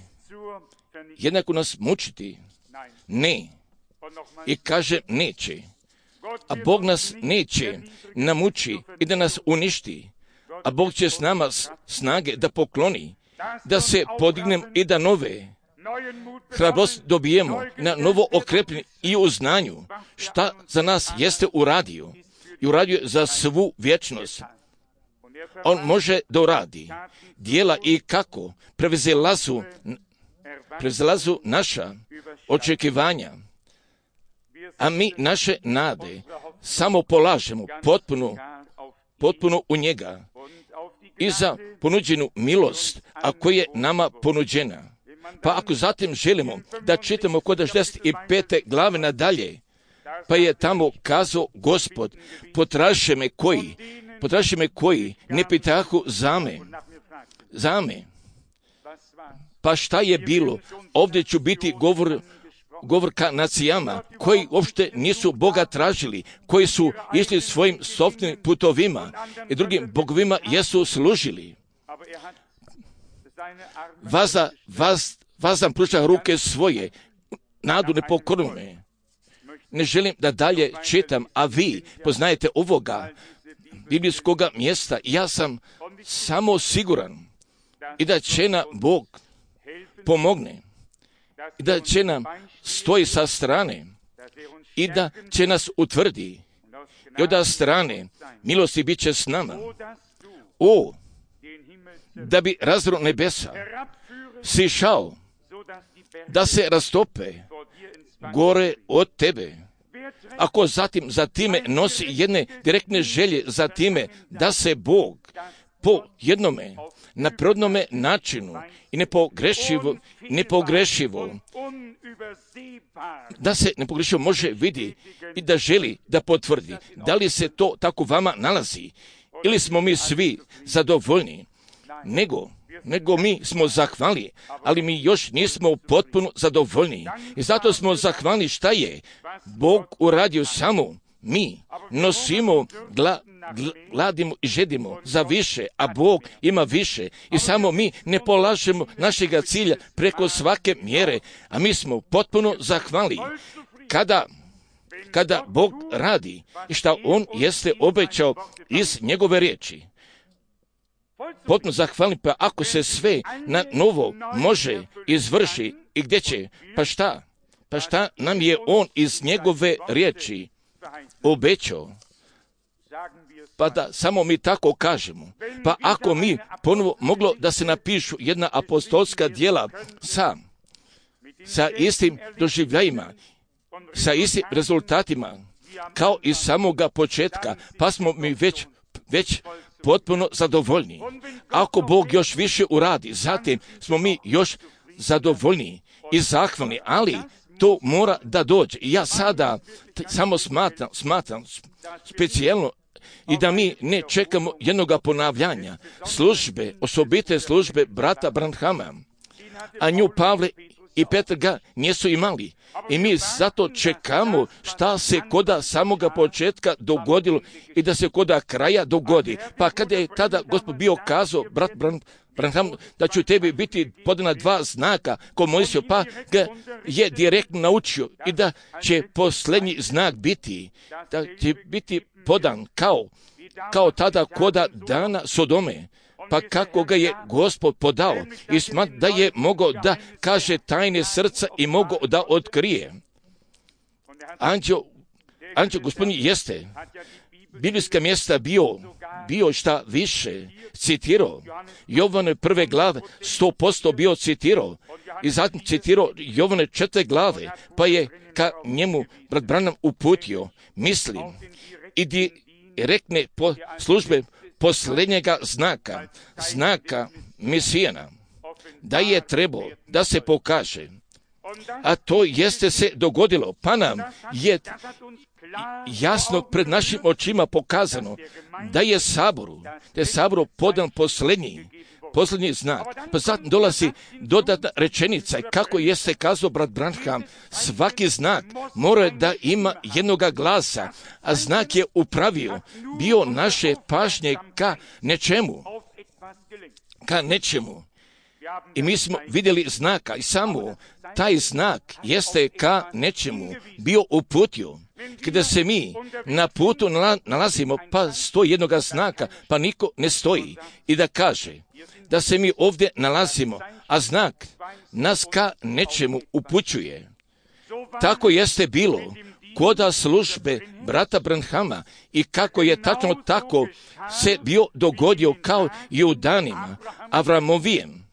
Jednako nas mučiti? Ne. I kaže neće. A Bog nas neće namuči i da nas uništi. A Bog će s nama snage da pokloni, da se podignem i da nove hrabrost dobijemo, na novo okrepljenje i u znanju šta za nas jeste uradio i uradio za svu vječnost. On može da uradi dijela i kako prevazilazu, prevazilazu naša očekivanja, a mi naše nade samo polažemo potpuno, potpuno u njega i za ponuđenu milost, a koja je nama ponuđena. Pa ako zatim želimo da čitamo kod šezdeset pete glave nadalje, pa je tamo kazao Gospod, potraže me koji, potraže me koji ne pitahu za me, za me. Pa šta je bilo? Ovdje ću biti govor, govor ka nacijama koji uopšte nisu Boga tražili, koji su išli svojim sopstvenim putovima i drugim bogovima jesu služili. Vaza, vaz, vazam pruža ruke svoje, nadu nepokorne. Ne želim da dalje čitam, a vi poznajete ovoga biblijskoga mjesta. Ja sam samo siguran i da će nam Bog pomogne i da će nam stoji sa strane i da će nas utvrdi i od strane milosti bit će s nama. O, da bi razro nebesa sišao, da se rastope gore od tebe. Ako zatim za time nosi jedne direktne želje za time da se Bog po jednome naprodnome načinu i nepogrešivo, nepogrešivo, da se nepogrešivo može vidi i da želi da potvrdi. Da li se to tako vama nalazi? Ili smo mi svi zadovoljni? Nego, nego mi smo zahvalni, ali mi još nismo potpuno zadovoljni. I zato smo zahvalni šta je Bog uradio samo. Mi nosimo, gla, gladimo i žedimo za više, a Bog ima više. I samo mi ne polažemo našega cilja preko svake mjere, a mi smo potpuno zahvalni. Kada, kada Bog radi i šta On jeste obećao iz njegove riječi. Potpuno zahvalni, pa ako se sve na novo može izvrši i gdje će, pa šta? Pa šta nam je On iz njegove riječi obećao? Pa da samo mi tako kažemo. Pa ako mi ponovo moglo da se napišu jedna apostolska djela sa, sa istim doživljajima, sa istim rezultatima, kao i samoga početka, pa smo mi već, već potpuno zadovoljni. Ako Bog još više uradi, zatim smo mi još zadovoljni i zahvalni, ali to mora da dođe. I ja sada t- samo smatram, smatram specijalno i da mi ne čekamo jednoga ponavljanja službe, osobite službe brata Branhama, a nju Pavle i Petar ga nisu imali. I mi zato čekamo šta se koda samoga početka dogodilo i da se koda kraja dogodi. Pa kada je tada Gospod bio kazao, brat Branham, da ću tebi biti podana dva znaka ko Mojsio, pa ga je direktno naučio i da će posljednji znak biti, da će biti podan kao, kao tada koda dana Sodome. Pa kako ga je Gospod podao i smat da je mogao da kaže tajne srca i mogao da otkrije. Anđeo, anđeo gospodin jeste biblijska mjesta bio, bio šta više citirao. Jovane prve glave sto posto bio citirao i zatim citirao Jovane četvrte glave, pa je ka njemu brat Branham uputio, mislim, i direktne po službe posljednjega znaka, znaka Mesijana, da je trebao da se pokaže. A to jeste se dogodilo, pa nam je jasno pred našim očima pokazano da je saboru, da je saboru podan posljednji, posljednji znak. Pa zatim dolazi dodatna rečenica i kako jeste kazao brat Branham, svaki znak mora da ima jednoga glasa, a znak je upravio, bio naše pažnje ka nečemu, ka nečemu. I mi smo vidjeli znaka i samo taj znak jeste ka nečemu bio uputio. Kada se mi na putu nalazimo, pa stoji jednoga znaka, pa niko ne stoji. I da kaže da se mi ovdje nalazimo, a znak nas ka nečemu upućuje. Tako jeste bilo koda službe brata Branhama i kako je tačno tako se bio dogodio kao i u danima Avramovijem.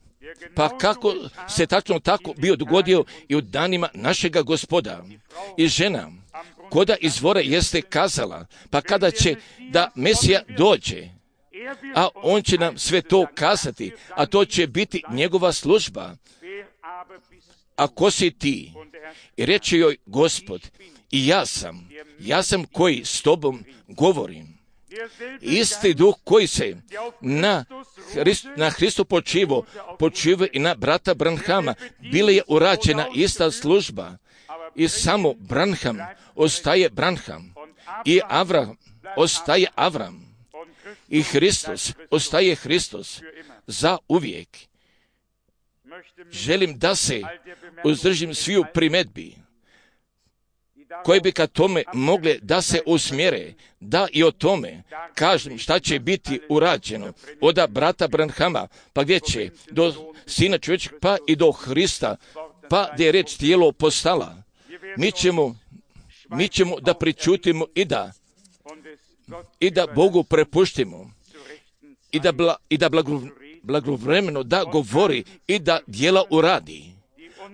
Pa kako se tačno tako bio dogodio i u danima našega Gospoda. I žena koda izvora jeste kazala, pa kada će da Mesija dođe, a on će nam sve to kazati, a to će biti njegova služba. A ko si ti? I reče joj Gospod, i ja sam, ja sam koji s tobom govorim. Isti duh koji se na, Hrist, na Hristu počivo, počivo i na brata Branhama, bila je urađena ista služba. I samo Branham ostaje Branham i Avram ostaje Avram i Hristos ostaje Hristos za uvijek. Želim da se uzdržim sviju primedbi koje bi ka tome mogle da se usmjere, da i o tome kažem šta će biti urađeno od brata Branhama, pa gdje će do Sina čovječeg, pa i do Hrista, pa gdje je reč tijelo postala. Mi ćemo, mi ćemo da pričutimo i da i da Bogu prepuštimo i da, bla, i da blago, blagovremeno da govori i da djela uradi,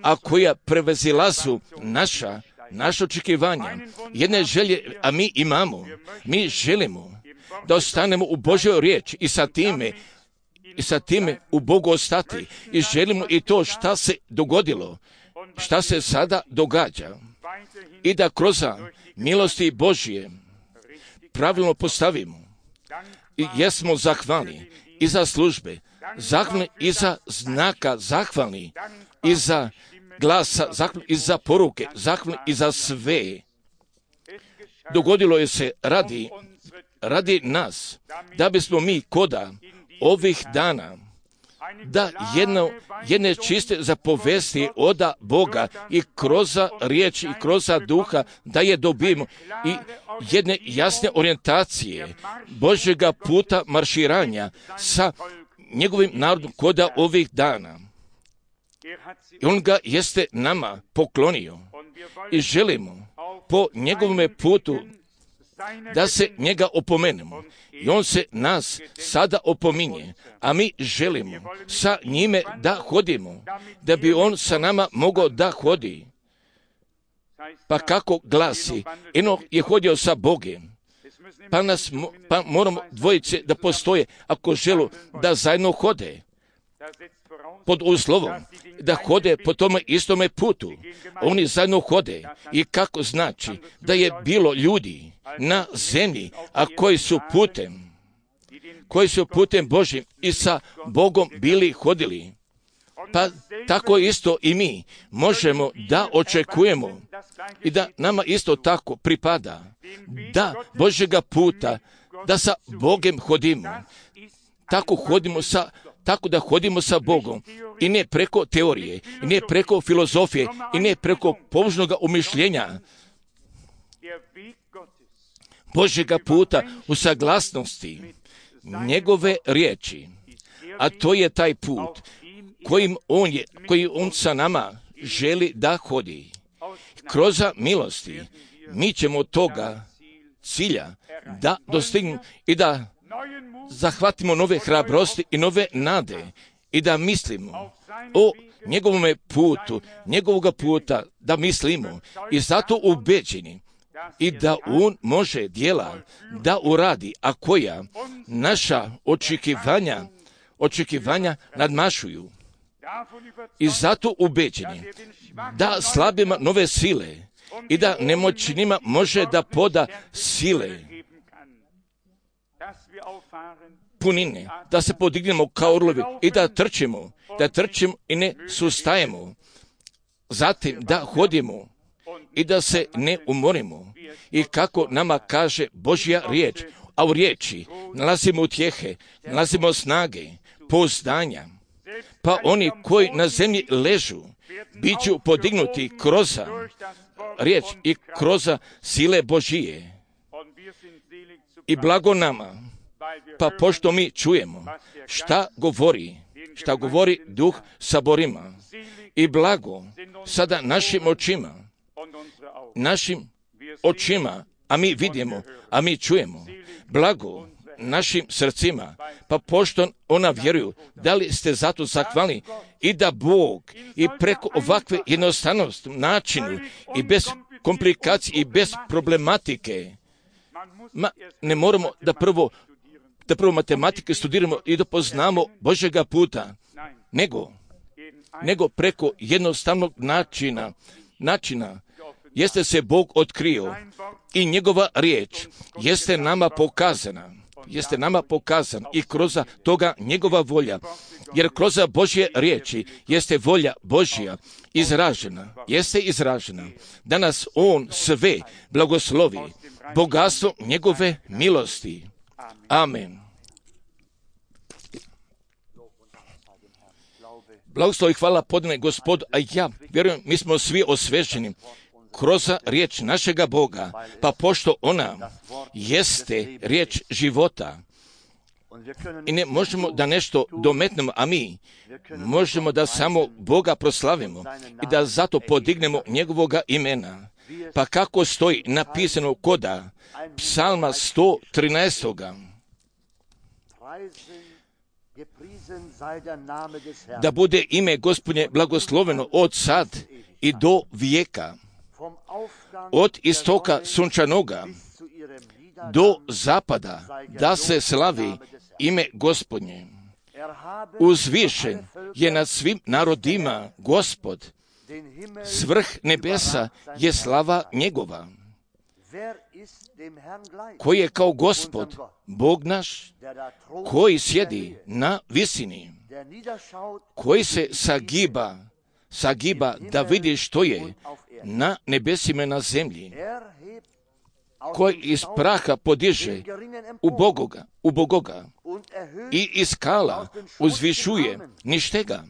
a koja prevezilazu naša, naša očekivanja, jedne želje, a mi imamo, mi želimo da ostanemo u Božjoj riječi i sa time i sa time u Bogu ostati i želimo i to šta se dogodilo, šta se sada događa i da kroz milosti Božje pravilno postavimo. I jesmo zahvalni i za službe, zahvalni i za znaka, zahvalni i za glasa, zahvalni i za poruke, zahvalni i za sve. Dogodilo je se radi, radi nas, da bismo mi koda ovih dana da jedno, jedne čiste zapovesti oda Boga i kroz riječ i kroz duha da je dobijemo i jedne jasne orijentacije Božjega puta marširanja sa njegovim narodom koda ovih dana. I on ga jeste nama poklonio i želimo po njegovome putu da se njega opomenemo. I on se nas sada opominje, a mi želimo sa njime da hodimo, da bi on sa nama mogao da hodi. Pa kako glasi, Enoh je hodio sa Bogom, pa, nas, pa moramo dvojice da postoje ako želu da zajedno hode. Pod uslovom da hode po tome istome putu. Oni zajedno hode. I kako znači da je bilo ljudi na zemlji, a koji su putem, koji su putem Božjim i sa Bogom bili hodili. Pa tako isto i mi možemo da očekujemo i da nama isto tako pripada da Božjega puta, da sa Bogom hodimo. Tako hodimo sa Tako da hodimo sa Bogom i ne preko teorije, i ne preko filozofije, i ne preko pobožnog umišljenja Božjega puta u saglasnosti njegove riječi. A to je taj put kojim on je, koji on sa nama želi da hodi. Kroz milosti mi ćemo toga cilja da dostignemo i da zahvatimo nove hrabrosti i nove nade i da mislimo o njegovome putu, njegovoga puta da mislimo i zato ubeđeni i da on može djela da uradi, a koja naša očekivanja, očekivanja nadmašuju. I zato ubeđeni da slabima nove sile i da nemoćnima može da poda sile punine, da se podignemo kao orlovi i da trčimo, da trčimo i ne sustajemo. Zatim da hodimo i da se ne umorimo. I kako nama kaže Božja riječ, a u riječi nalazimo utjehe, nalazimo snage, pouzdanja. Pa oni koji na zemlji ležu, bit ću podignuti kroz riječ i kroz sile Božije. I blago nama, pa pošto mi čujemo šta govori, šta govori duh saborima i blago sada našim očima, našim očima, a mi vidimo, a mi čujemo. Blago našim srcima, pa pošto ona vjeruju, da li ste zato zahvalni i da Bog i preko ovakve jednostavnosti načinu i bez komplikacije i bez problematike, ma, ne moramo da prvo da prvo matematike studiramo i da poznamo Božjega puta, nego, nego preko jednostavnog načina, načina jeste se Bog otkrio i njegova riječ jeste nama pokazana, jeste nama pokazana i kroz toga njegova volja, jer kroz Božje riječi jeste volja Božja izražena, jeste izražena, da nas On sve blagoslovi, bogatstvo njegove milosti. Amen. Blagoslov i hvala podane Gospod, a ja vjerujem, mi smo svi osveženi kroz riječ našega Boga, pa pošto ona jeste riječ života i ne možemo da nešto dometnemo, a mi možemo da samo Boga proslavimo i da zato podignemo njegovoga imena. Pa kako stoji napisano koda Psalma sto trinaest. Da bude ime Gospodnje blagosloveno od sad i do vijeka, od istoka sunčanoga do zapada, da se slavi ime Gospodnje. Uzvišen je nad svim narodima Gospod, svrh nebesa je slava njegova. Koji je kao Gospod, Bog naš, koji sjedi na visini, koji se sagiba, sagiba da vidi što je na nebesima i na zemlji, koji iz praha podiže u Bogoga, u Bogoga i iz skala uzvišuje ništega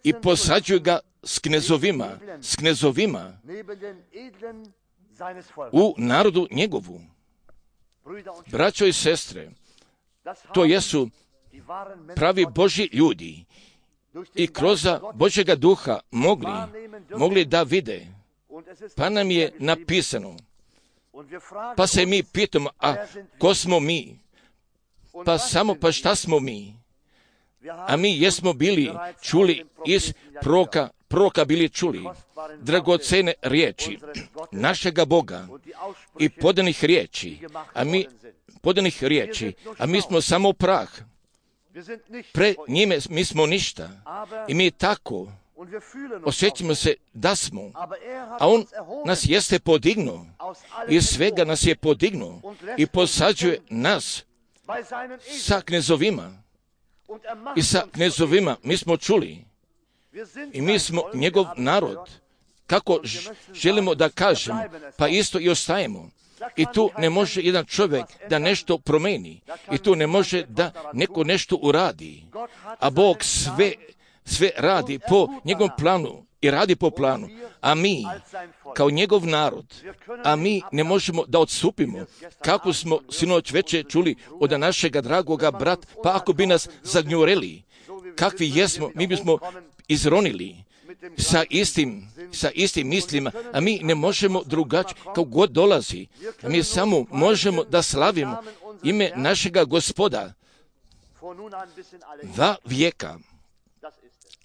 i posađuje ga s knezovima, s knezovima u narodu njegovu. Braćo i sestre, to jesu pravi Božji ljudi i kroz Božjega duha mogli, mogli da vide. Pa nam je napisano, pa se mi pitamo, a ko smo mi? Pa samo, pa šta smo mi? A mi jesmo bili čuli iz proroka, proroka bili čuli dragocene riječi našega Boga i podanih riječi, a mi podanih riječi, a mi smo samo prah. Pre njime mi smo ništa i mi tako osjećamo se da smo, a On nas jeste podignuo i svega nas je podignuo i posađuje nas sa knezovima i sa knezovima mi smo čuli i mi smo njegov narod. Kako želimo da kažemo, pa isto i ostajemo. I tu ne može jedan čovjek da nešto promeni. I tu ne može da neko nešto uradi. A Bog sve, sve radi po njegovom planu i radi po planu. A mi, kao njegov narod, a mi ne možemo da odstupimo. Kako smo sinoć večer čuli od našega dragoga brata, pa ako bi nas zagnjureli, kakvi jesmo, mi bismo izronili sa istim, sa istim mislima, a mi ne možemo drugačije, kao god dolazi. A mi samo možemo da slavimo ime našega Gospoda va vijeka.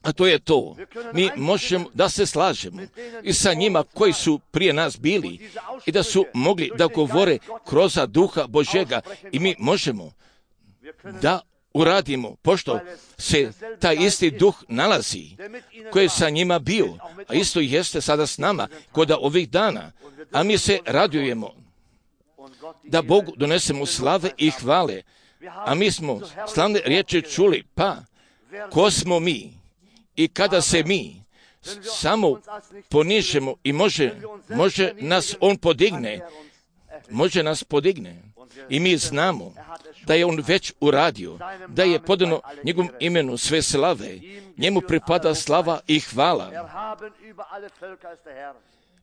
A to je to. Mi možemo da se slažemo i sa njima koji su prije nas bili i da su mogli da govore kroz duha Božjega i mi možemo da uradimo, pošto se taj isti duh nalazi, koji je sa njima bio, a isto jeste sada s nama, kod ovih dana, a mi se radujemo da Bogu donesemo slave i hvale, a mi smo slavne riječi čuli, pa ko smo mi i kada se mi samo ponižemo i može, može nas On podigne, može nas podigne. I mi znamo da je On već uradio, da je podano njegovom imenu sve slave, njemu pripada slava i hvala.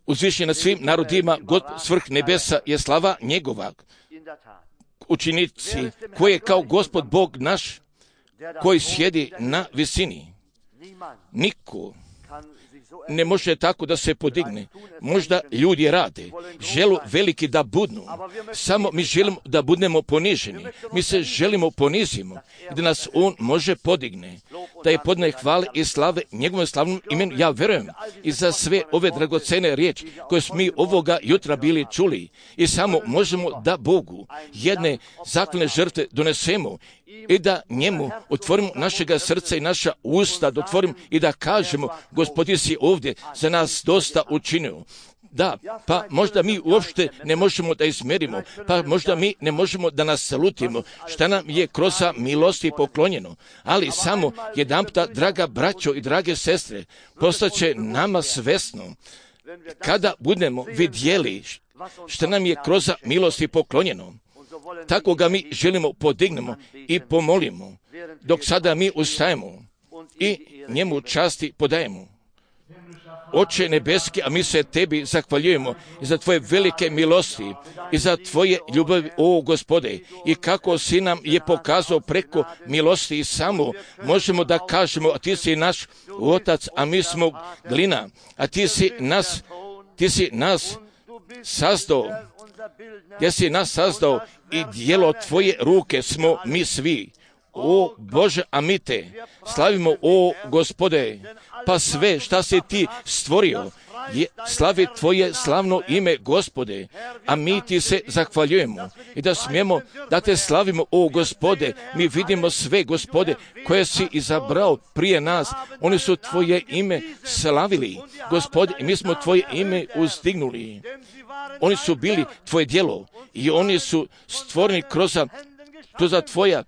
Uzvišen nad svim narodima, God svrh nebesa je slava njegova. Učinici koji je kao Gospod Bog naš, koji sjedi na visini. Niko ne može tako da se podigne. Možda ljudi rade, žele veliki da budnu, samo mi želimo da budemo poniženi. Mi se želimo ponizimo i da nas On može podigne, da je podne hvale i slave njegovom slavnom imenu. Ja verujem i za sve ove dragocene riječi koje smo mi ovoga jutra bili čuli i samo možemo da Bogu jedne zaklane žrtve donesemo i da njemu otvorimo našega srca i naša usta, da otvorimo i da kažemo: Gospodin si ovdje za nas dosta učinio. Da, pa možda mi uopšte ne možemo da izmerimo, pa možda mi ne možemo da nas salutimo, šta nam je kroz milosti poklonjeno, ali samo jedanputa, draga braćo i drage sestre, postaće nama svesno, kada budemo vidjeli šta nam je kroz milosti poklonjeno, tako ga mi želimo podignemo i pomolimo, dok sada mi ustajemo i njemu časti podajemo. Oče nebeski, a mi se tebi zahvaljujemo i za tvoje velike milosti i za tvoje ljubavi, o Gospode, i kako si nam je pokazao preko milosti i samo možemo da kažemo: a ti si naš otac, a mi smo glina, a ti si nas, ti si nas sazdao, gdje si nas sazdao i dijelo tvoje ruke smo mi svi. O Bože, a mi te slavimo, o Gospode, pa sve šta si ti stvorio je slavi tvoje slavno ime, Gospode, a mi ti se zahvaljujemo i da smijemo da te slavimo, o Gospode. Mi vidimo sve, Gospode, koje si izabrao prije nas, oni su tvoje ime slavili, Gospode, i mi smo tvoje ime uzdignuli. Oni su bili tvoje djelo i oni su stvoreni kroz, kroz tvoja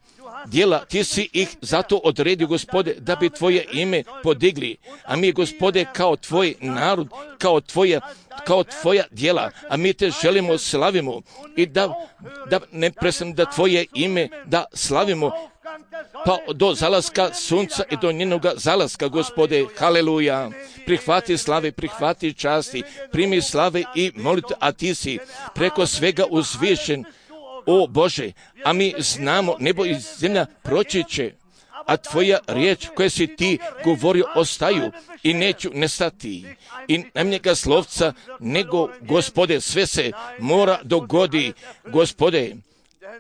djela. Ti si ih zato odredio, Gospode, da bi tvoje ime podigli, a mi, Gospode, kao tvoj narod, kao tvoja, kao tvoja djela, a mi te želimo slavimo i da, da ne prestane da tvoje ime da slavimo pa do zalaska sunca i do njenoga zalaska, Gospode. Haleluja. Prihvati slave, prihvati časti, primi slave i molite, a ti si preko svega uzvišen, o Bože, a mi znamo, nebo i zemlja proći će, a tvoja riječ koje si ti govorio ostaju i neću nestati. I najmnjega slovca nego, Gospode, sve se mora dogodi, Gospode.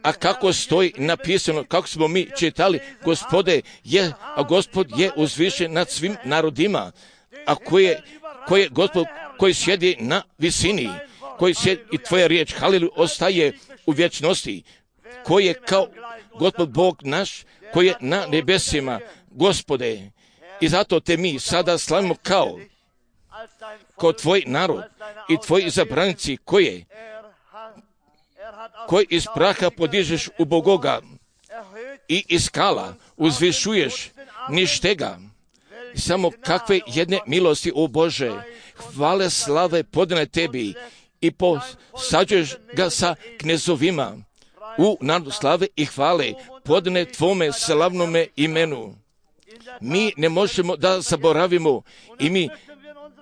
A kako stoji napisano, kako smo mi čitali, Gospode je, a Gospod je uzvišen nad svim narodima, a koje, koje Gospod koji sjedi na visini, koji sjedi, i tvoja riječ, haleluja, ostaje u vječnosti, koji je kao Gospod Bog naš, koji je na nebesima, Gospode. I zato te mi sada slavimo kao, kao tvoj narod i tvoji izabranici koje, koji iz praha podižeš u Bogoga i iz skala uzvišuješ ništega. Samo kakve jedne milosti, o Bože, hvale slave podane tebi i posađuješ ga sa knezovima u narodu slave i hvale podane tvome slavnome imenu. Mi ne možemo da zaboravimo i mi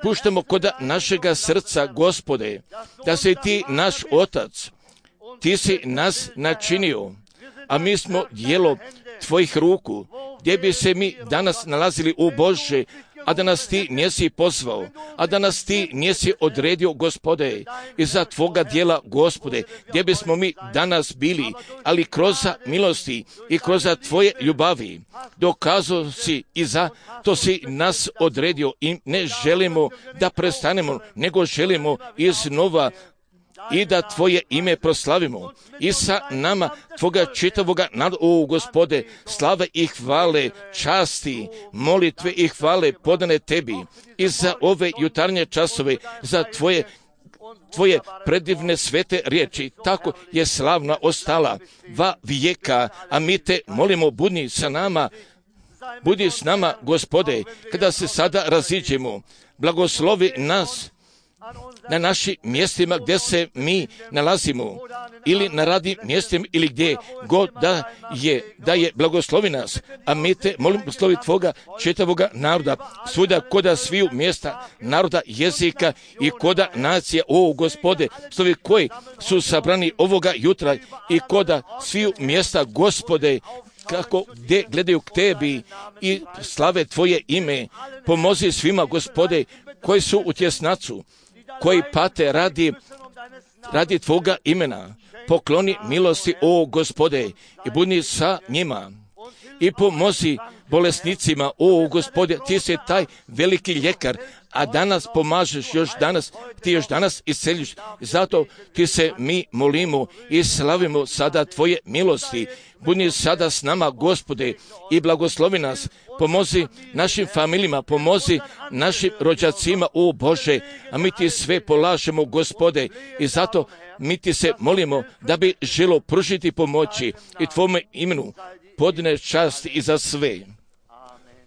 puštamo kod našega srca, Gospode, da si ti naš otac, ti si nas načinio, a mi smo djelo tvojih ruku, gdje bi se mi danas nalazili, u Bože, a da nas ti nisi pozvao, a da nas ti nisi odredio, Gospode, i za tvoga djela, Gospode, gdje bismo mi danas bili, ali kroz milosti i kroz tvoje ljubavi dokazao si i za to si nas odredio i ne želimo da prestanemo, nego želimo iznova i da tvoje ime proslavimo i sa nama tvoga čitavoga naroda, o Gospode, slave i hvale, časti, molitve i hvale podane tebi i za ove jutarnje časove, za tvoje tvoje predivne svete riječi, tako je slavna ostala va vijeka, a mi te molimo, budi sa nama, budi s nama, Gospode, kada se sada raziđemo, blagoslovi nas na našim mjestima gdje se mi nalazimo, ili na radnim mjestima, ili gdje god da je, da je blagoslovi nas, a mi te molim blagoslovi tvoga čitavoga naroda, svuda koda sviju mjesta, naroda, jezika i koda nacija, o Gospode, slovi koji su sabrani ovoga jutra i koda sviju mjesta, Gospode, kako gdje gledaju k tebi i slave tvoje ime, pomozi svima, Gospode, koji su u tjesnacu, koji pate radi, radi Tvoga imena. Pokloni milosti, o Gospode, i budi sa njima. I pomozi bolesnicima, o Gospode, Ti si taj veliki ljekar, a danas pomažeš još danas, Ti još danas isceljiš. Zato Ti se mi molimo i slavimo sada Tvoje milosti. Budi sada s nama, Gospode, i blagoslovi nas. Pomozi našim familijama, pomozi našim rođacima, o Bože, a mi Ti sve polažemo, Gospode, i zato mi Ti se molimo da bi želo pružiti pomoći i Tvome imenu podne čast i za sve.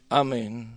Amen.